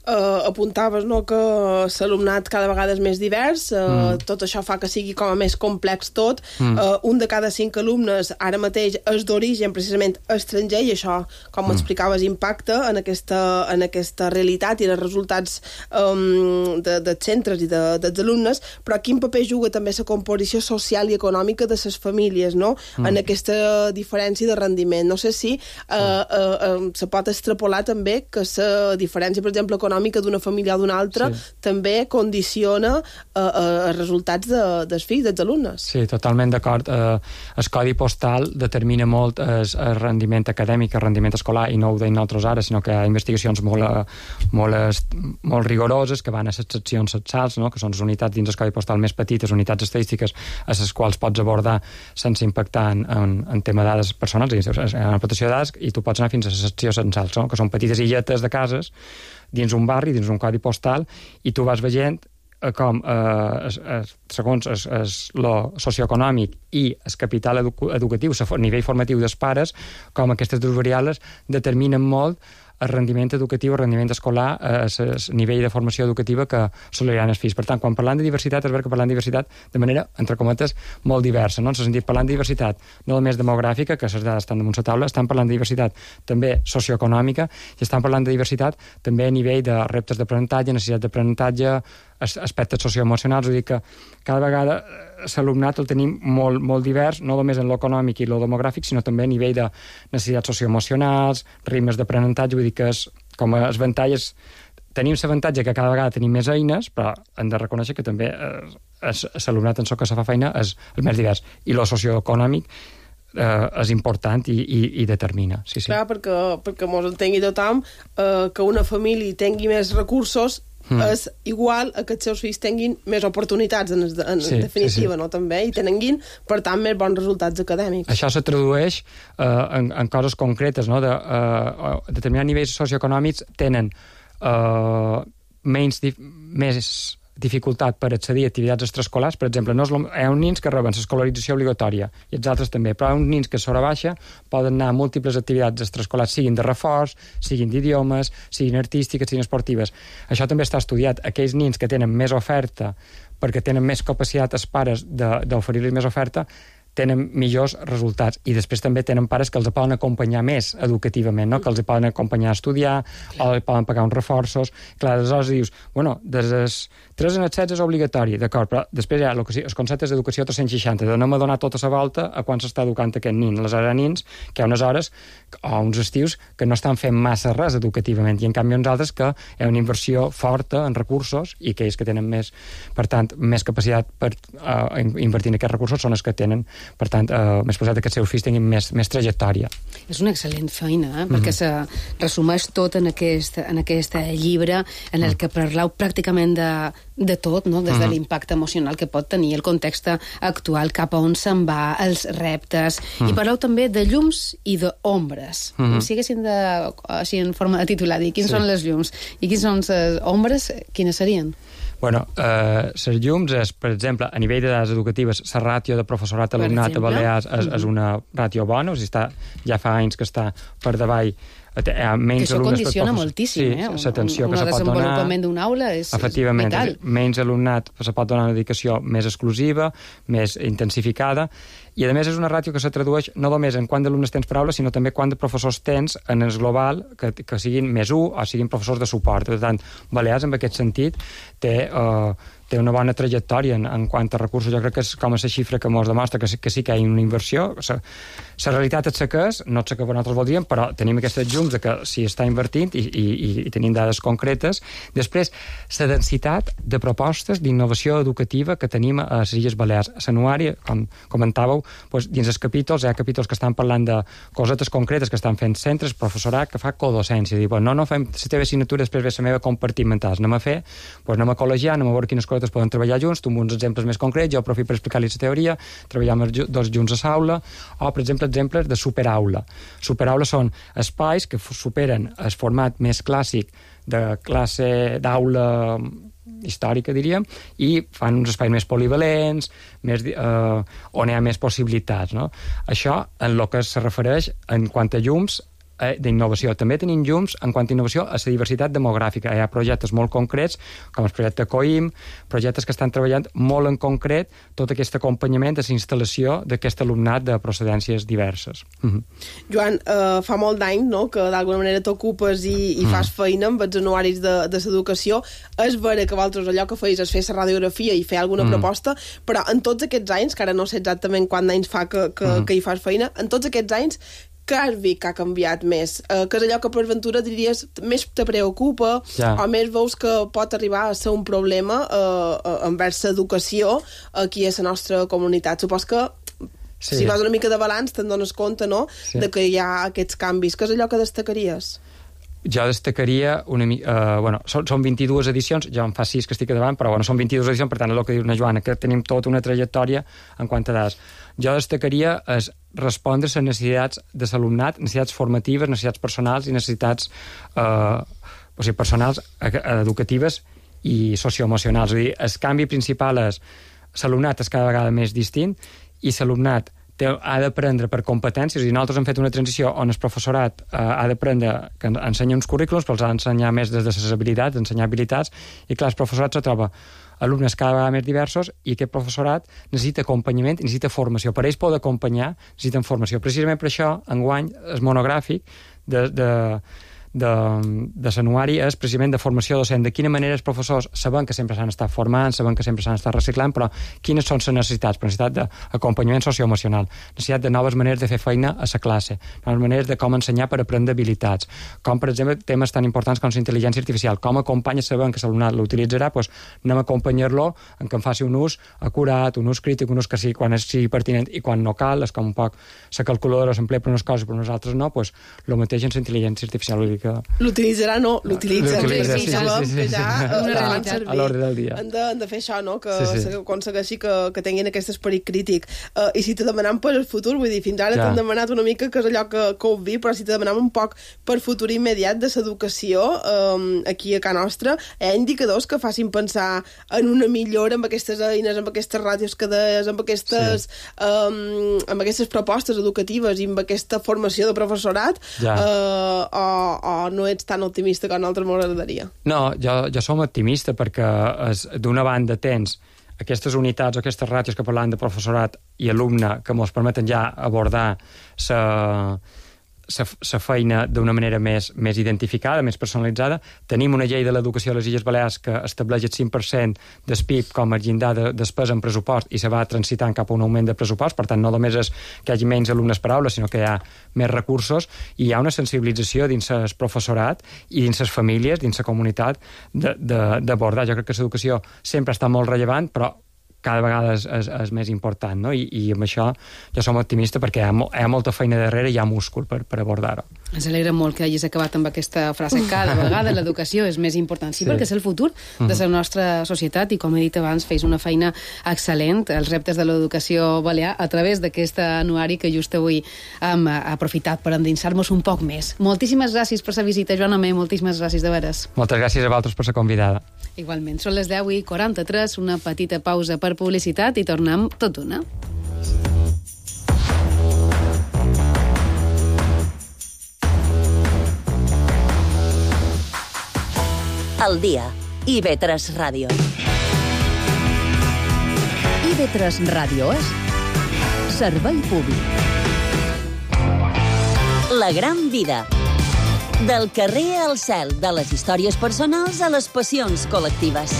Apuntaves, no?, que l'alumnat cada vegada és més divers, tot això fa que sigui com a més complex tot. Un de cada 5 alumnes ara mateix és d'origen precisament estranger, i això, com explicaves, impacta en aquesta realitat i els resultats dels centres i dels alumnes. Però quin paper juga també la composició social i econòmica de les famílies, no?, en aquesta diferència de rendiment. No sé si se pot extrapolar també que la diferència, per exemple, econòmica d'una família o d'una altra també condiciona els resultats dels fills, dels alumnes. Sí, totalment d'acord. El codi postal determina molt el rendiment acadèmic, el rendiment escolar, i no ho deim nosaltres ara, sinó que hi ha investigacions molt rigoroses que van a les seccions censals, no?, que són les unitats dins el codi postal més petites, unitats estadístiques a les quals pots abordar sense impactar en tema de dades personals, en la protecció de dades, i tu pots anar fins a la secció censals, no?, que són petites illetes de cases dins un barri, dins un codi postal, i tu vas veient com, segons lo socioeconòmic i el capital educatiu, el nivell formatiu dels pares, com aquestes dues variables determinen molt el rendiment educatiu, el rendiment escolar, el nivell de formació educativa que assoliran els fills. Per tant, quan parlant de diversitat, és veritat que parlant de diversitat de manera, entre cometes, molt diversa, no? En el sentit, parlant de diversitat no només demogràfica, que les dades estan damunt la taula, estan parlant de diversitat també socioeconòmica, i estan parlant de diversitat també a nivell de reptes d'aprenentatge, necessitat d'aprenentatge, aspectes socioemocionals. Vull dir que cada vegada l'alumnat el tenim molt divers, no només en l'econòmic i el demogràfic, sinó també a nivell de necessitats socioemocionals, ritmes d'aprenentatge. Vull dir que com a avantatges tenim l'avantatge que cada vegada tenim més eines, però hem de reconèixer que també l'alumnat en que se fa feina és el més divers, i el socioeconòmic és important i determina. Sí. Clar, perquè mos entengui tothom, que una família tingui més recursos és igual a que els seus fills tinguin més oportunitats, en definitiva, no?, també, i tinguin, per tant, més bons resultats acadèmics. Això se tradueix en coses concretes, no?, determinats nivells socioeconòmics tenen més dificultat per accedir a activitats extraescolars. Per exemple, hi ha uns nins que reben l'escolarització obligatòria, i els altres també, però hi ha uns nins que sobre baixa poden anar a múltiples activitats extraescolars, siguin de reforç, siguin d'idiomes, siguin artístiques, siguin esportives. Això també està estudiat. Aquells nins que tenen més oferta, perquè tenen més capacitat els pares d'oferir-los més oferta, tenen millors resultats. I després també tenen pares que els poden acompanyar més educativament, no? Que els poden acompanyar a estudiar, o poden pagar uns reforços. Clar, aleshores dius, bueno, des dels 3 als 16 és obligatori, d'acord, però després hi ha els conceptes d'educació 360, de no m'ha donat tota la volta a quan s'està educant aquest nin. Aleshores hi ha nins que hi ha unes hores o uns estius que no estan fent massa res educativament, i en canvi uns altres que hi ha una inversió forta en recursos i que ells que tenen més, per tant, més capacitat per invertir en aquests recursos són els que tenen, per tant, més possibilitat que els seus fills tinguin més trajectòria. És una excel·lent feina, perquè se resumeix tot en aquest llibre en el que parlau pràcticament de tot, no? Des de l'impacte emocional que pot tenir el context actual, cap a on se'n va, els reptes, i parlau també de llums i d'ombres. Si haguessin de, així en forma de titular, dir quins són les llums i quins són les ombres, quines serien? Bueno, les llums és, per exemple, a nivell de dades educatives, la ràtio de professorat alumnat a Balears és una ràtio bona, o sigui, ja fa anys que està per davall. Que això condiciona moltíssim, l'atenció que se pot donar. Un desenvolupament d'una aula és vital. Menys alumnat se pot donar una dedicació més exclusiva, més intensificada, i a més és una ràtio que se tradueix no només en quant d'alumnes tens per aula, sinó també quant de professors tens en el global que siguin més 1 o siguin professors de suport. Per tant, Balears, en aquest sentit, té una bona trajectòria en quant a recursos. Jo crec que és com a la xifra que ens demostra que sí que hi ha una inversió. La realitat és la que és, no és la que nosaltres voldríem, però tenim aquestes llums que s'hi està invertint i tenim dades concretes. Després, la densitat de propostes d'innovació educativa que tenim a les Illes Balears. A l'anuari, com comentàveu, dins els capítols hi ha capítols que estan parlant de cosetes concretes que estan fent centres, professorat que fa codocència. Dir, no fem la teva assignatura, després ve la meva compartimental. Anem a fer, anem a col·legiar, anem a veure quines coses poden treballar junts, tu amb uns exemples més concrets, jo aprofito per explicar-li la teoria, treballar dos junts a l'aula, o, per exemple, exemples de superaula. Superaula són espais que superen el format més clàssic de classe d'aula històrica, diríem, i fan uns espais més polivalents, on hi ha més possibilitats. No? Això, en el que se refereix en quant a llums, d'innovació. També tenim llums en quant a innovació a la diversitat demogràfica. Hi ha projectes molt concrets, com el projecte COIM, projectes que estan treballant molt en concret tot aquest acompanyament de la instal·lació d'aquest alumnat de procedències diverses. Joan, fa molt d'any, no?, que d'alguna manera t'ocupes i fas feina amb els anuaris de l'educació. És vera que vosaltres allò que feies és fer la radiografia i fer alguna proposta, però en tots aquests anys, que ara no sé exactament quants anys fa que hi fas feina, en tots aquests anys, què has vist que ha canviat més? Que és allò que per ventura diries més te preocupa o més veus que pot arribar a ser un problema envers l'educació aquí a la nostra comunitat? Supos que si vas una mica de balanç te'n dones compte, no?, de que hi ha aquests canvis. Què és allò que destacaries? Jo destacaria són 22 edicions, jo en fa 6 que estic davant, però són 22 edicions, per tant, el que diu una Joana, que tenim tota una trajectòria en quant a dades. Jo destacaria és respondre a les necessitats de l'alumnat, necessitats formatives, necessitats personals i necessitats personals, educatives i socioemocionals. És a dir, el canvi principal és l'alumnat és cada vegada més distint i l'alumnat ha d'aprendre per competències, i nosaltres hem fet una transició on el professorat ha d'aprendre que ensenya uns currículums, però els ha d'ensenyar més des de les habilitats, ensenyar habilitats, i clar, el professorat se troba alumnes cada vegada més diversos i aquest professorat necessita acompanyament, necessita formació. Per ells poden acompanyar, necessiten formació. Precisament per això, enguany, el monogràfic de l'anuari és precisament de formació docent, de quina manera els professors saben que sempre s'han estat formant, saben que sempre s'han estat reciclant, però quines són les necessitats? Necessitat d'acompanyament socioemocional, necessitat de noves maneres de fer feina a la classe, noves maneres de com ensenyar per aprendre habilitats, com per exemple temes tan importants com la intel·ligència artificial, com acompanya sabent que l'alumnat l'utilitzarà, doncs anem a acompanyar-lo en que en faci un ús acurat, un ús crític, un ús que sigui quan sigui pertinent i quan no cal, és com un poc la calculadora s'emplea per unes coses però nosaltres no, doncs el mateix en la intel·ligència artificial, vull dir que l'utilitzarà, no, l'utilitza. Sí. A l'ordre del dia. Han de fer això, no?, que aconsegueixi que tinguin aquest esperit crític. I si te demanem per el futur, vull dir, fins ara t'han demanat una mica que és allò que ho vi, però si te demanem un poc per futur immediat de l'educació aquí a casa nostra, hi ha indicadors que facin pensar en una millora amb aquestes eines, amb aquestes ràdios que deies, amb aquestes propostes educatives i amb aquesta formació de professorat, o no ets tan optimista com nosaltres m'agradaria? No, jo som optimista perquè d'una banda tens aquestes unitats o aquestes ràtios que parlàvem de professorat i alumne que ens permeten ja abordar la feina d'una manera més identificada, més personalitzada. Tenim una llei de l'educació a les Illes Balears que estableix el 5% del PIB com a llindar de despesa en pressupost i se va transitant cap a un augment de pressupost. Per tant, no només és que hi hagi menys alumnes per aula, sinó que hi ha més recursos i hi ha una sensibilització dins el professorat i dins les famílies, dins la comunitat, d'abordar. Jo crec que l'educació sempre està molt rellevant, però cada vegada és més important, no? I amb això jo som optimista perquè hi ha molta feina darrere i hi ha múscul per abordar-ho. Ens alegra molt que hagis acabat amb aquesta frase. Cada vegada l'educació és més important. Sí, perquè és el futur de la nostra societat i, com he dit abans, feis una feina excel·lent. Els reptes de l'educació balear a través d'aquest anuari que just avui hem aprofitat per endinsar-nos un poc més. Moltíssimes gràcies per la visita, Joan Amé. Moltíssimes gràcies de veres. Moltes gràcies a vosaltres per ser convidada. Igualment. Són les 10:43, una petita pausa per publicitat i tornem tot d'una. Al dia, IB3 Ràdio. IB3 Ràdio és servei públic. La gran vida. Del carrer al cel, de les històries personals a les passions col·lectives.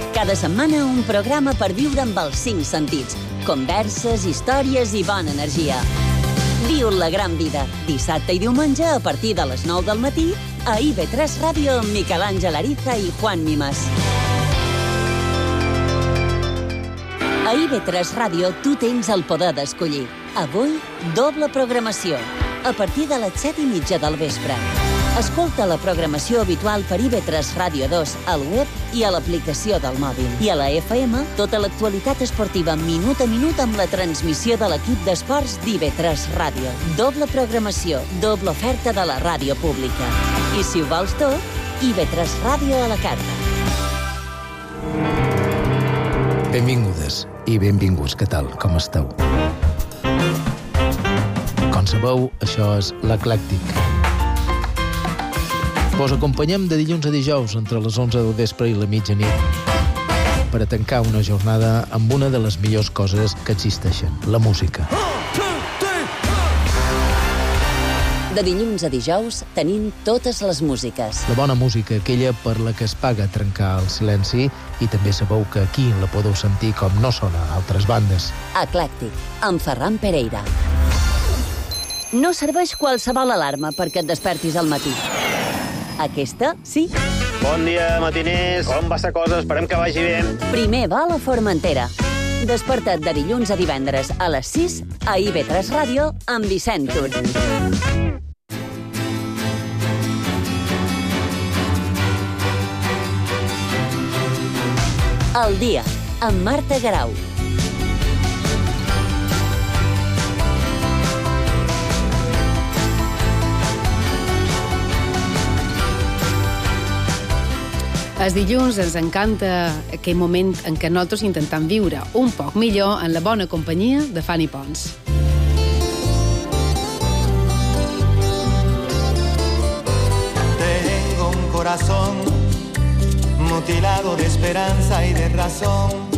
Cada setmana un programa per viure amb els 5 sentits. Converses, històries i bona energia. Viu la gran vida, dissabte i diumenge a partir de les 9 del matí a IB3 Ràdio amb Miquel Àngel Ariza i Juan Mimas. A IB3 Ràdio tu tens el poder d'escollir. Avui, doble programació, a partir de les 7:30 del vespre. Escolta la programació habitual per IB3 Ràdio 2 al web i a l'aplicació del mòbil. I a la FM, tota l'actualitat esportiva minut a minut amb la transmissió de l'equip d'esports d'IB3 Ràdio. Doble programació, doble oferta de la ràdio pública. I si ho vols tot, IB3 Ràdio a la carta. Benvingudes i benvinguts. Què tal? Com esteu? Com sabeu, això és l'Eclèctic. Vos acompanyem de dilluns a dijous entre les 11 del vespre i la mitjanit per a tancar una jornada amb una de les millors coses que existeixen, la música. De dilluns a dijous tenim totes les músiques. La bona música, aquella per la que es paga trencar el silenci, i també sabeu que aquí la podeu sentir com no sona a altres bandes. Eclèctic, amb Ferran Pereira. No serveix qualsevol alarma perquè et despertis al matí. Aquesta, sí. Bon dia, matiners. Com va la cosa? Esperem que vagi bé. Primer vol a Formentera. Desperta't de dilluns a divendres a les 6 a IB3 Ràdio amb Vicent Tur. El dia, amb Marta Garau. Els dilluns ens encanta aquell moment en què nosaltres intentem viure un poc millor en la bona companyia de Fanny Pons. Tengo un corazón mutilado de esperanza y de razón.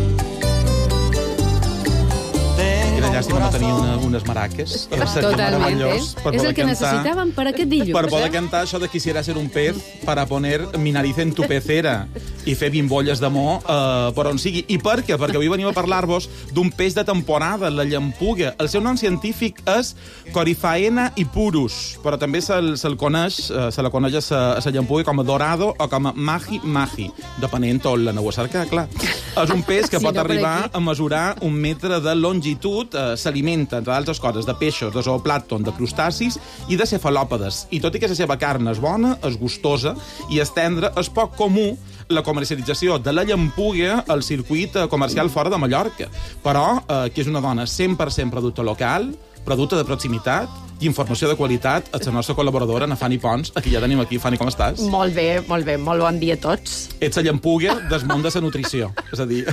Quina llàstima no tenir unes maraques. Seria meravellós. És el que necessitàvem per aquest dilluns. Per poder cantar això de quisiera ser un pez para poner mi nariz en tu pecera i fer bimbolles d'amor per on sigui. I per què? Perquè avui venim a parlar-vos d'un peix de temporada, la llampuga. El seu nom científic és Coryphaena ipurus, però també se la coneix a la llampuga com a dorado o com a mahi-mahi, depenent on l'aneu a cercar, clar. És un peix que pot arribar a mesurar 1 metre de longitud. S'alimenta, entre altres coses, de peixos, de zooplàncton, de crustacis i de cefalòpodes. I tot i que la seva carn és bona, és gustosa i és tendra, és poc comú la comercialització de la llampuga al circuit comercial fora de Mallorca. Però, que és una dona 100% producte local, producte de proximitat i informació de qualitat, és la nostra col·laboradora, na Fanny Pons, a qui ja tenim aquí. Fanny, com estàs? Molt bé, molt bon dia a tots. Ets la llampuga del món de la nutrició. És a dir,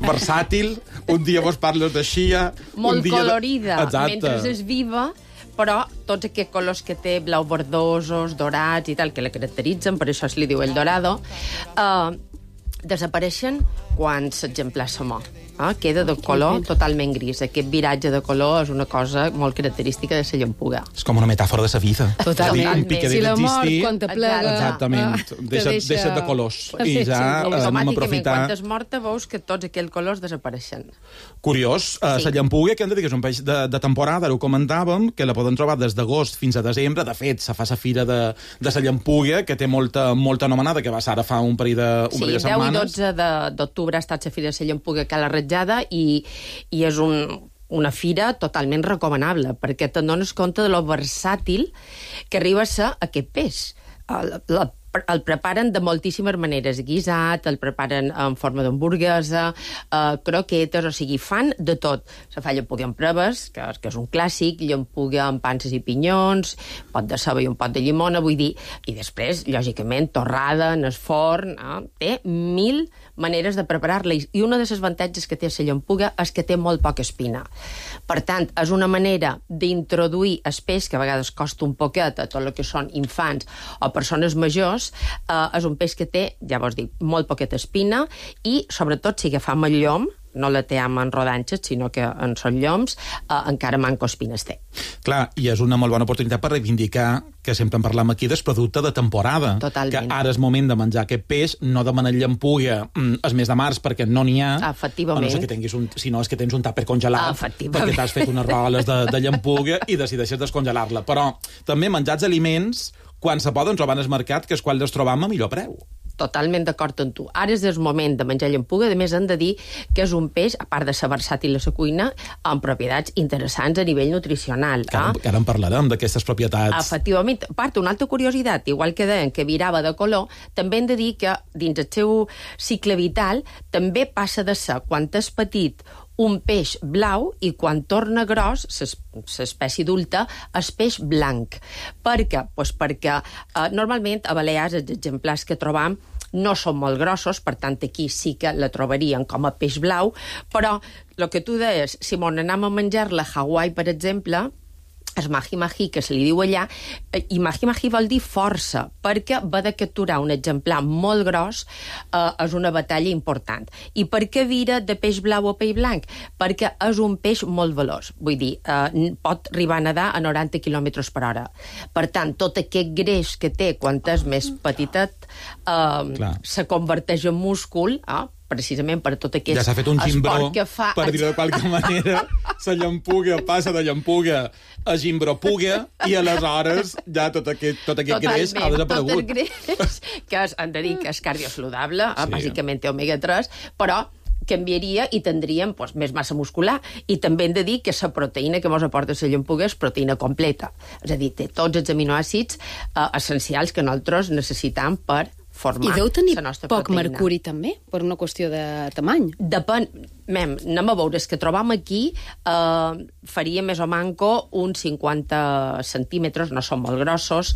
versàtil, un dia vos parles de xia... Molt dia colorida, Exacte. mentre és viva, però tots aquests colors que té, blau verdosos, dorats i tal, que la caracteritzen, per això es li diu el dorado, desapareixen quan l'exemplar se mor. Queda de color totalment gris. Aquest viratge de color és una cosa molt característica de la llampuga. És com una metàfora de la vida. Totalment. Si la mort, quan te plega... Exactament. Deixa't de colors. I ja anem a aprofitar... Quan és morta veus que tots aquells colors desapareixen. Curiós. La llampuga, que hem de dir que és un peix de temporada, ho comentàvem, que la poden trobar des d'agost fins a desembre. De fet, se fa la fira de la llampuga, que té molta anomenada, que va ser ara fa un parell de setmanes. Sí, 10 i 12 d'octubre ha estat la fira de la llampuga que l'ha i és una fira totalment recomanable, perquè te'n dones compte de lo versàtil que arriba a ser aquest peix. El preparen de moltíssimes maneres, guisat, el preparen en forma d'hamburguesa, croquetes, o sigui, fan de tot. Se fa llampuga amb preves, que és un clàssic, llampuga amb panses i pinyons, pot de ceba i un pot de llimona, vull dir, i després, lògicament, torrada en el forn, té 1000 maneres de preparar-la, i una de les avantatges que té la llampuga és que té molt poca espina. Per tant, és una manera d'introduir el peix, que a vegades costa un poquet a tot el que són infants o persones majors. És un peix que té, ja vos dic, molt poqueta espina i, sobretot, si agafam el llom, no la té en rodanxes, sinó que en són lloms, encara manco espines té. Clar, i és una molt bona oportunitat per reivindicar, que sempre en parlam aquí, del producte de temporada. Totalment. Que ara és moment de menjar aquest peix, no demanar llampuga el mes de març, perquè no n'hi ha. Efectivament. A no ser que tinguis si no és que tens un tàper congelat, perquè t'has fet unes roles de llampuga i decideixes descongelar-la. Però també menjats aliments quan se poden trobar en el mercat, que és quan els trobam a millor preu. Totalment d'acord amb tu. Ara és el moment de menjar llampuga, a més hem de dir que és un peix, a part de ser versàtil a la cuina, amb propietats interessants a nivell nutricional. Que ara en parlarem, d'aquestes propietats. Efectivament. A part, una altra curiositat, igual que deien que virava de color, també hem de dir que dins el seu cicle vital també passa de ser, quan és petit, un peix blau, i quan torna gros, l'espècie adulta, és peix blanc. Per què? Pues perquè normalment a Balears els exemplars que trobam no són molt grossos, per tant aquí sí que la trobarien com a peix blau, però el que tu deies, si m'on anem a menjar-la a Hawaii, per exemple, el mahi-mahi, que se li diu allà, i mahi-mahi vol dir força, perquè va de capturar un exemplar molt gros, és una batalla important. I per què vira de peix blau a peix blanc? Perquè és un peix molt veloç, vull dir, pot arribar a nedar a 90 km per hora. Per tant, tot aquest greix que té quan és més petitet se converteix en múscul, precisament per tot aquest ja s'ha fet un gimbró, que fa... per dir-ho de qualque manera, la llampuga passa de llampuga a gimbropuga, i aleshores ja tot aquest greix ha desaparegut. Tot el greix, que hem de dir que és cardiosaludable, bàsicament té omega-3, però canviaria i tindríem més massa muscular. I també hem de dir que la proteïna que ens aporta la llampuga és proteïna completa. És a dir, té tots els aminoàcids essencials que nosaltres necessitem per formar. I deu tenir poc proteïna. mercuri, també, per una qüestió de tamany. Depèn. Anem a veure, els que trobam aquí faria més o manco uns 50 centímetres, no són molt grossos,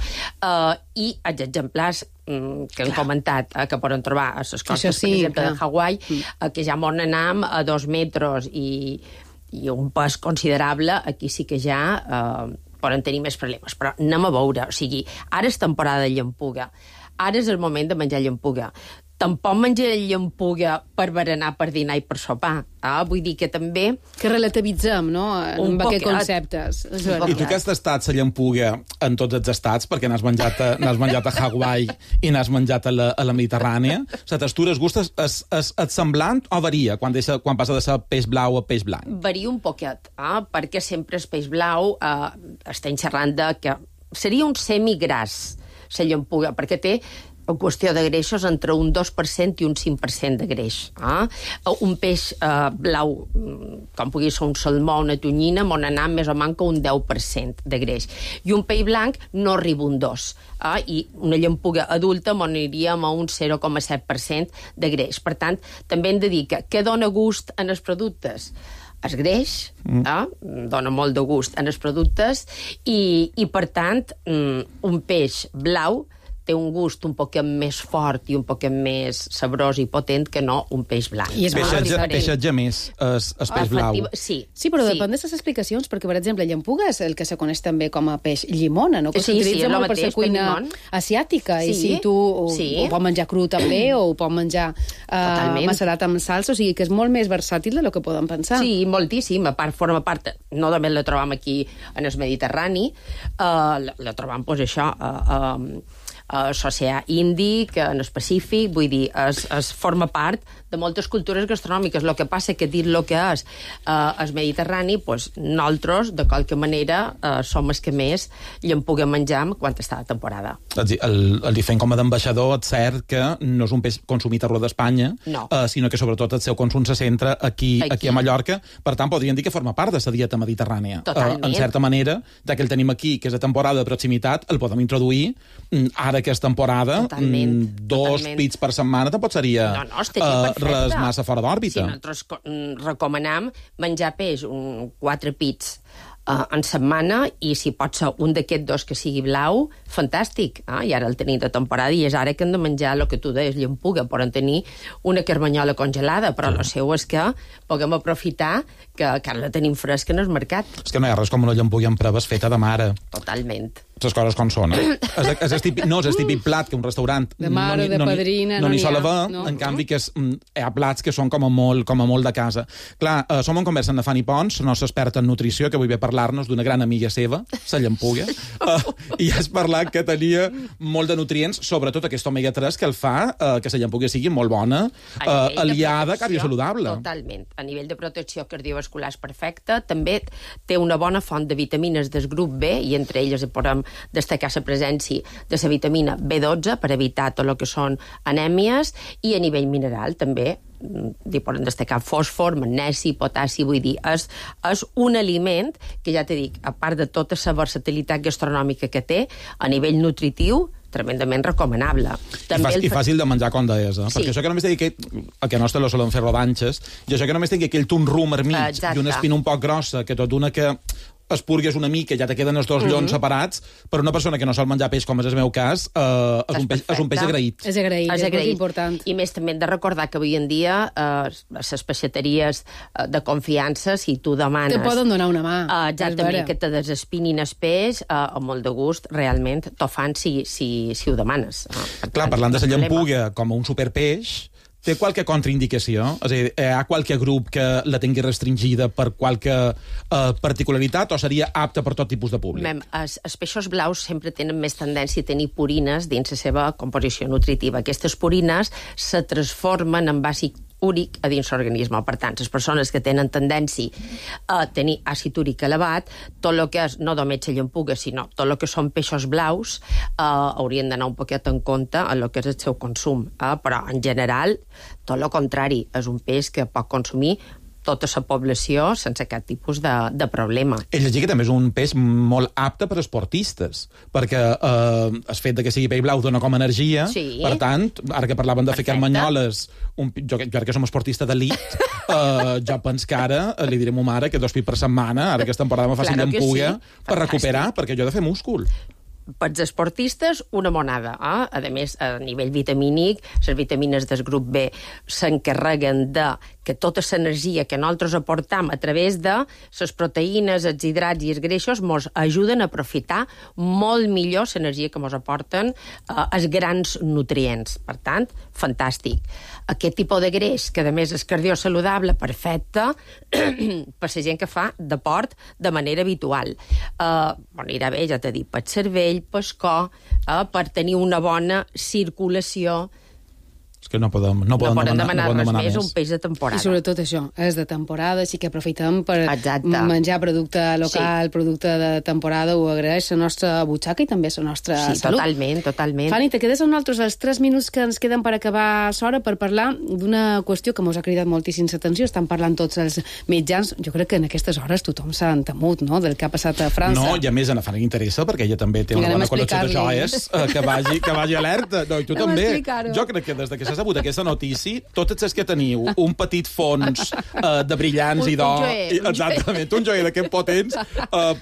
i els exemplars que hem comentat, que poden trobar a les costes, per exemple, de Hawaii, que ja m'on anam a 2 metres i un pes considerable, aquí sí que ja poden tenir més problemes. Però anem a veure, o sigui, ara és temporada de llampuga. Ara és el moment de menjar llampuga. Tampoc menjaré llampuga per berenar, per dinar i per sopar. Vull dir que també... Que relativitzem, no?, amb aquests conceptes. I tu que has tastat la llampuga en tots els estats, perquè n'has menjat a Hawaii i n'has menjat a la Mediterrània, la textura, el gust és semblant o varia quan passa de ser peix blau a peix blanc? Varia un poquet, perquè sempre el peix blau estem xerrant de que seria un semigras, la llampuga, perquè té en qüestió de greixos entre un 2% i un 5% de greix. Un peix blau, com pugui ser un salmó o una tonyina, m'on anar més o manco un 10% de greix. I un peix blanc no arriba un 2%. I una llampuga adulta m'on aniríem a un 0,7% de greix. Per tant, també hem de dir que què dona gust en els productes? Es greix, dona molt de gust en els productes, i per tant, un peix blau té un gust un poquet més fort i un poquet més sabrós i potent que no un peix blanc. I és peixatge més el peix blau. Sí, però depèn de les explicacions, perquè, per exemple, llampuga és el que se coneix també com a peix llimona, no? Que s'utilitza molt per la cuina asiàtica, i si tu ho pots menjar cru també, o ho pots menjar macerat amb salsa, o sigui que és molt més versàtil del que podem pensar. Sí, moltíssim. A part, forma part, no només la trobam aquí en el Mediterrani, la trobam, doncs, això, l'oceà Índic, en el Pacífic, vull dir, es forma part de moltes cultures gastronòmiques. El que passa que dir el que és el Mediterrani, doncs nosaltres, de qualque manera, som els que més llampuga menjam quan està de temporada. El fent com a d'ambaixador, és cert que no és un peix consumit arreu d'Espanya, sinó que sobretot el seu consum se centra aquí a Mallorca. Per tant, podríem dir que forma part de la dieta mediterrània. Totalment. En certa manera, ja que el tenim aquí, que és a temporada de proximitat, el podem introduir ara que és temporada, dos pits per setmana tampoc seria res massa fora d'òrbita. Sí, nosaltres recomanam menjar peix 4 pits en setmana, i si pot ser un d'aquests 2 que sigui blau, fantàstic. I ara el tenim de temporada, i és ara que hem de menjar el que tu deies, llampuga. Poden tenir una carmanyola congelada, però el seu és que puguem aprofitar que ara la tenim fresca en el mercat. És que no hi ha res com una llampuga amb preves feta de mare. Totalment. Les coses com són, és el típic plat que un restaurant de mare, de padrina, no n'hi sol haver, en canvi que hi ha plats que són com a molt de casa. Clar, som en conversa amb la Fanny Pons, la nostra experta en nutrició, que avui ve a parlar-nos d'una gran amiga seva, la llampuga, i has parlat que tenia molt de nutrients, sobretot aquest omega-3 que el fa que la llampuga sigui molt bona, aliada cardiosaludable. Totalment. A nivell de protecció cardiovascular és perfecta, també té una bona font de vitamines del grup B, i entre elles podem destacar la presència de la vitamina B12 per evitar tot el que són anèmies, i a nivell mineral també poden destacar fòsfor, magnesi, potassi, vull dir, és un aliment que, ja t'he dit, a part de tota la versatilitat gastronòmica que té, a nivell nutritiu, tremendament recomanable. I fàcil de menjar, com deies, perquè això que només té que nostre lo solen fer rodanxes, i això que només té aquell ton rum al mig i una espina un poc grossa, que tot una que espurgues una mica, ja te queden els 2 llons separats, per una persona que no sol menjar peix, com és el meu cas, és un peix agraït. És agraït, és important. I més també hem de recordar que avui en dia les peixateries de confiança, si tu demanes... Te poden donar una mà. Exactament, que te desespinin el peix, amb molt de gust, realment, t'ho fan si ho demanes. Clar, parlant de la llampuga com un superpeix, té qualque contraindicació? És a dir, hi ha qualque grup que la tingui restringida per qualque particularitat, o seria apta per tot tipus de públic? Els peixos blaus sempre tenen més tendència a tenir purines dins la seva composició nutritiva. Aquestes purines se transformen en àcid úric a dins l'organisme. Per tant, les persones que tenen tendència a tenir àcid úric elevat, tot el que és, no només la llampuga, sinó tot el que són peixos blaus, haurien d'anar un poquet en compte a el que és el seu consum. Però, en general, tot el contrari, és un peix que pot consumir tota la població sense cap tipus de problema. He llegit que també és un peix molt apte per esportistes, perquè el fet que sigui peix blau dona com energia, per tant, ara que parlaven de fer carmanyoles, jo ara que som esportista d'elit, jo penso que ara li diré a ma mare que 2 pits per setmana, ara que aquesta temporada me faci llampuga, per recuperar, perquè jo he de fer múscul. Pels esportistes, una monada. A més, a nivell vitamínic, les vitamines del grup B s'encarreguen de que tota l'energia que nosaltres aportam a través de les proteïnes, els hidrats i els greixos mos ajuden a aprofitar molt millor l'energia que mos aporten els grans nutrients. Per tant, fantàstic. Aquest tipus de greix, que a més és cardiosaludable, perfecte per la gent que fa deport de manera habitual. Anirà bé, ja t'he dit, pel cervell, pel cor, per tenir una bona circulació. És que no poden demanar res més, un peix de temporada. I sobretot això, és de temporada, així que aprofitem per menjar producte local, producte de temporada, ho agraeix la nostra butxaca i també la nostra salut. Totalment. Fanny, te quedes amb nosaltres els 3 minuts que ens queden per acabar l'hora per parlar d'una qüestió que mos ha cridat moltíssim l'atenció. Estan parlant tots els mitjans. Jo crec que en aquestes hores tothom s'ha entemut, no?, del que ha passat a França. No, i a més a Fanny interessa, perquè ella també té una bona col·lecció de joies, que vagi alerta. No, i tu també. Jo crec que des que s'ha sabut aquesta notícia, totes les que teniu un petit fons de brillants i d'or... Exactament, un joier d'aquests potents,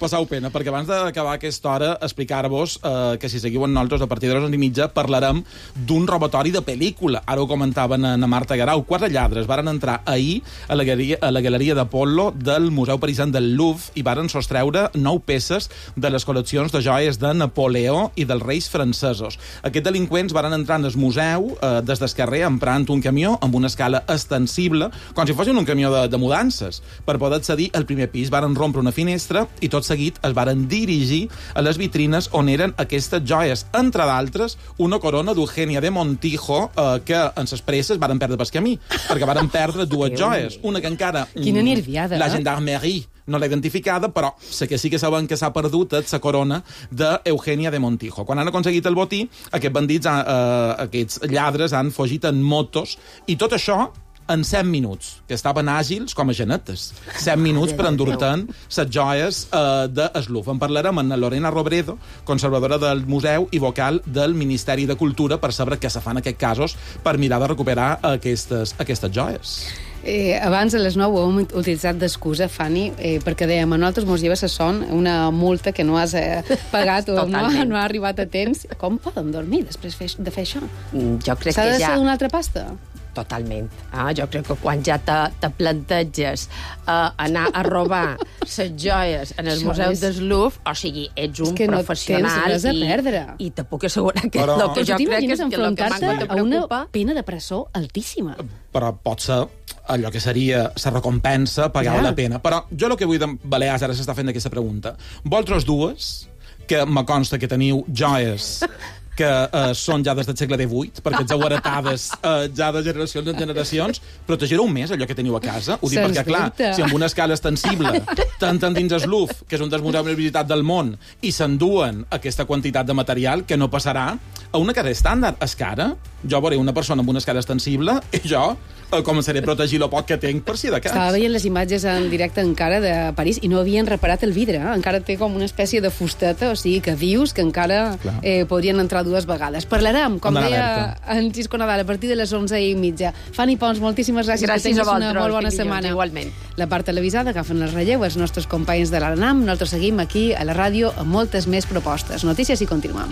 passeu pena, perquè abans d'acabar aquesta hora explicar-vos que si seguiu amb nosaltres a partir de les 11:30 parlarem d'un robatori de pel·lícula. Ara ho comentaven a Marta Garau. 4 lladres varen entrar ahir a la galeria d'Apollo del Museu Parisien del Louvre i varen sostreure 9 peces de les col·leccions de joies de Napoleó i dels reis francesos. Aquests delinqüents varen entrar en el museu des del carrer emprant un camió amb una escala extensible, com si fossin un camió de mudances. Per poder accedir al primer pis varen rompre una finestra i tot seguit es varen dirigir a les vitrines on eren aquestes joies, entre d'altres una corona d'Eugènia de Montijo que en ses presses varen perdre pel camí, perquè varen perdre 2 joies, una que encara... Quina nerviada, la gendarmerie no l'ha identificada, però sé que sí que saben que s'ha perdut la corona d'Eugènia de Montijo. Quan han aconseguit el botí, aquests bandits, aquests lladres, han fugit en motos, i tot això en 100 minuts, que estaven àgils com a genetes. 100 minuts per endur-te'n les joies de Louvre. En parlarem amb Lorena Robredo, conservadora del museu i vocal del Ministeri de Cultura, per saber què se fa en aquests casos per mirar de recuperar aquestes joies. Abans, a les 9, ho hem utilitzat d'excusa, Fanny, perquè dèiem, a nosaltres mos lleva a son una multa que no has pagat o no ha arribat a temps. Com poden dormir després de fer això? Jo crec S'ha que de ja... ser d'una altra pasta? Totalment. Jo crec que quan ja te planteges anar a robar les joies en el Museu del Louvre, o sigui, ets un professional no tens res a perdre. I te puc assegurar que però... el que jo crec és que el que m'ha de a una pena de presó altíssima. Però pot ser allò que seria la recompensa, pagar la pena. Però jo el que vull de Balears, ara s'està fent aquesta pregunta. Vosaltres dues, que me consta que teniu joies que són ja des del segle XVIII, perquè ets heretades ja de generacions en generacions, protegireu més allò que teniu a casa? Ho dic perquè, clar, si amb una escala extensible t'entren dins el Louvre, que és un dels museus més visitats del món, i s'enduen aquesta quantitat de material, que no passarà a una cara estàndard. És cara, jo veuré una persona amb una escala extensible i jo començaré a protegir el poc que tinc per si de cas. Estava veient les imatges en directe encara de París i no havien reparat el vidre, encara té com una espècie de fusteta, o sigui que dius que encara podrien entrar 2 vegades. Parlarem, com deia en Xisco Nadal, a partir de les 11:30. Fanny Pons, moltíssimes gràcies. Gràcies que tinguis a vosaltres, una molt bona setmana. Igualment. La part televisada agafen el relleu els nostres companys de l'ANAM. Nosaltres seguim aquí a la ràdio amb moltes més propostes. Notícies i continuem.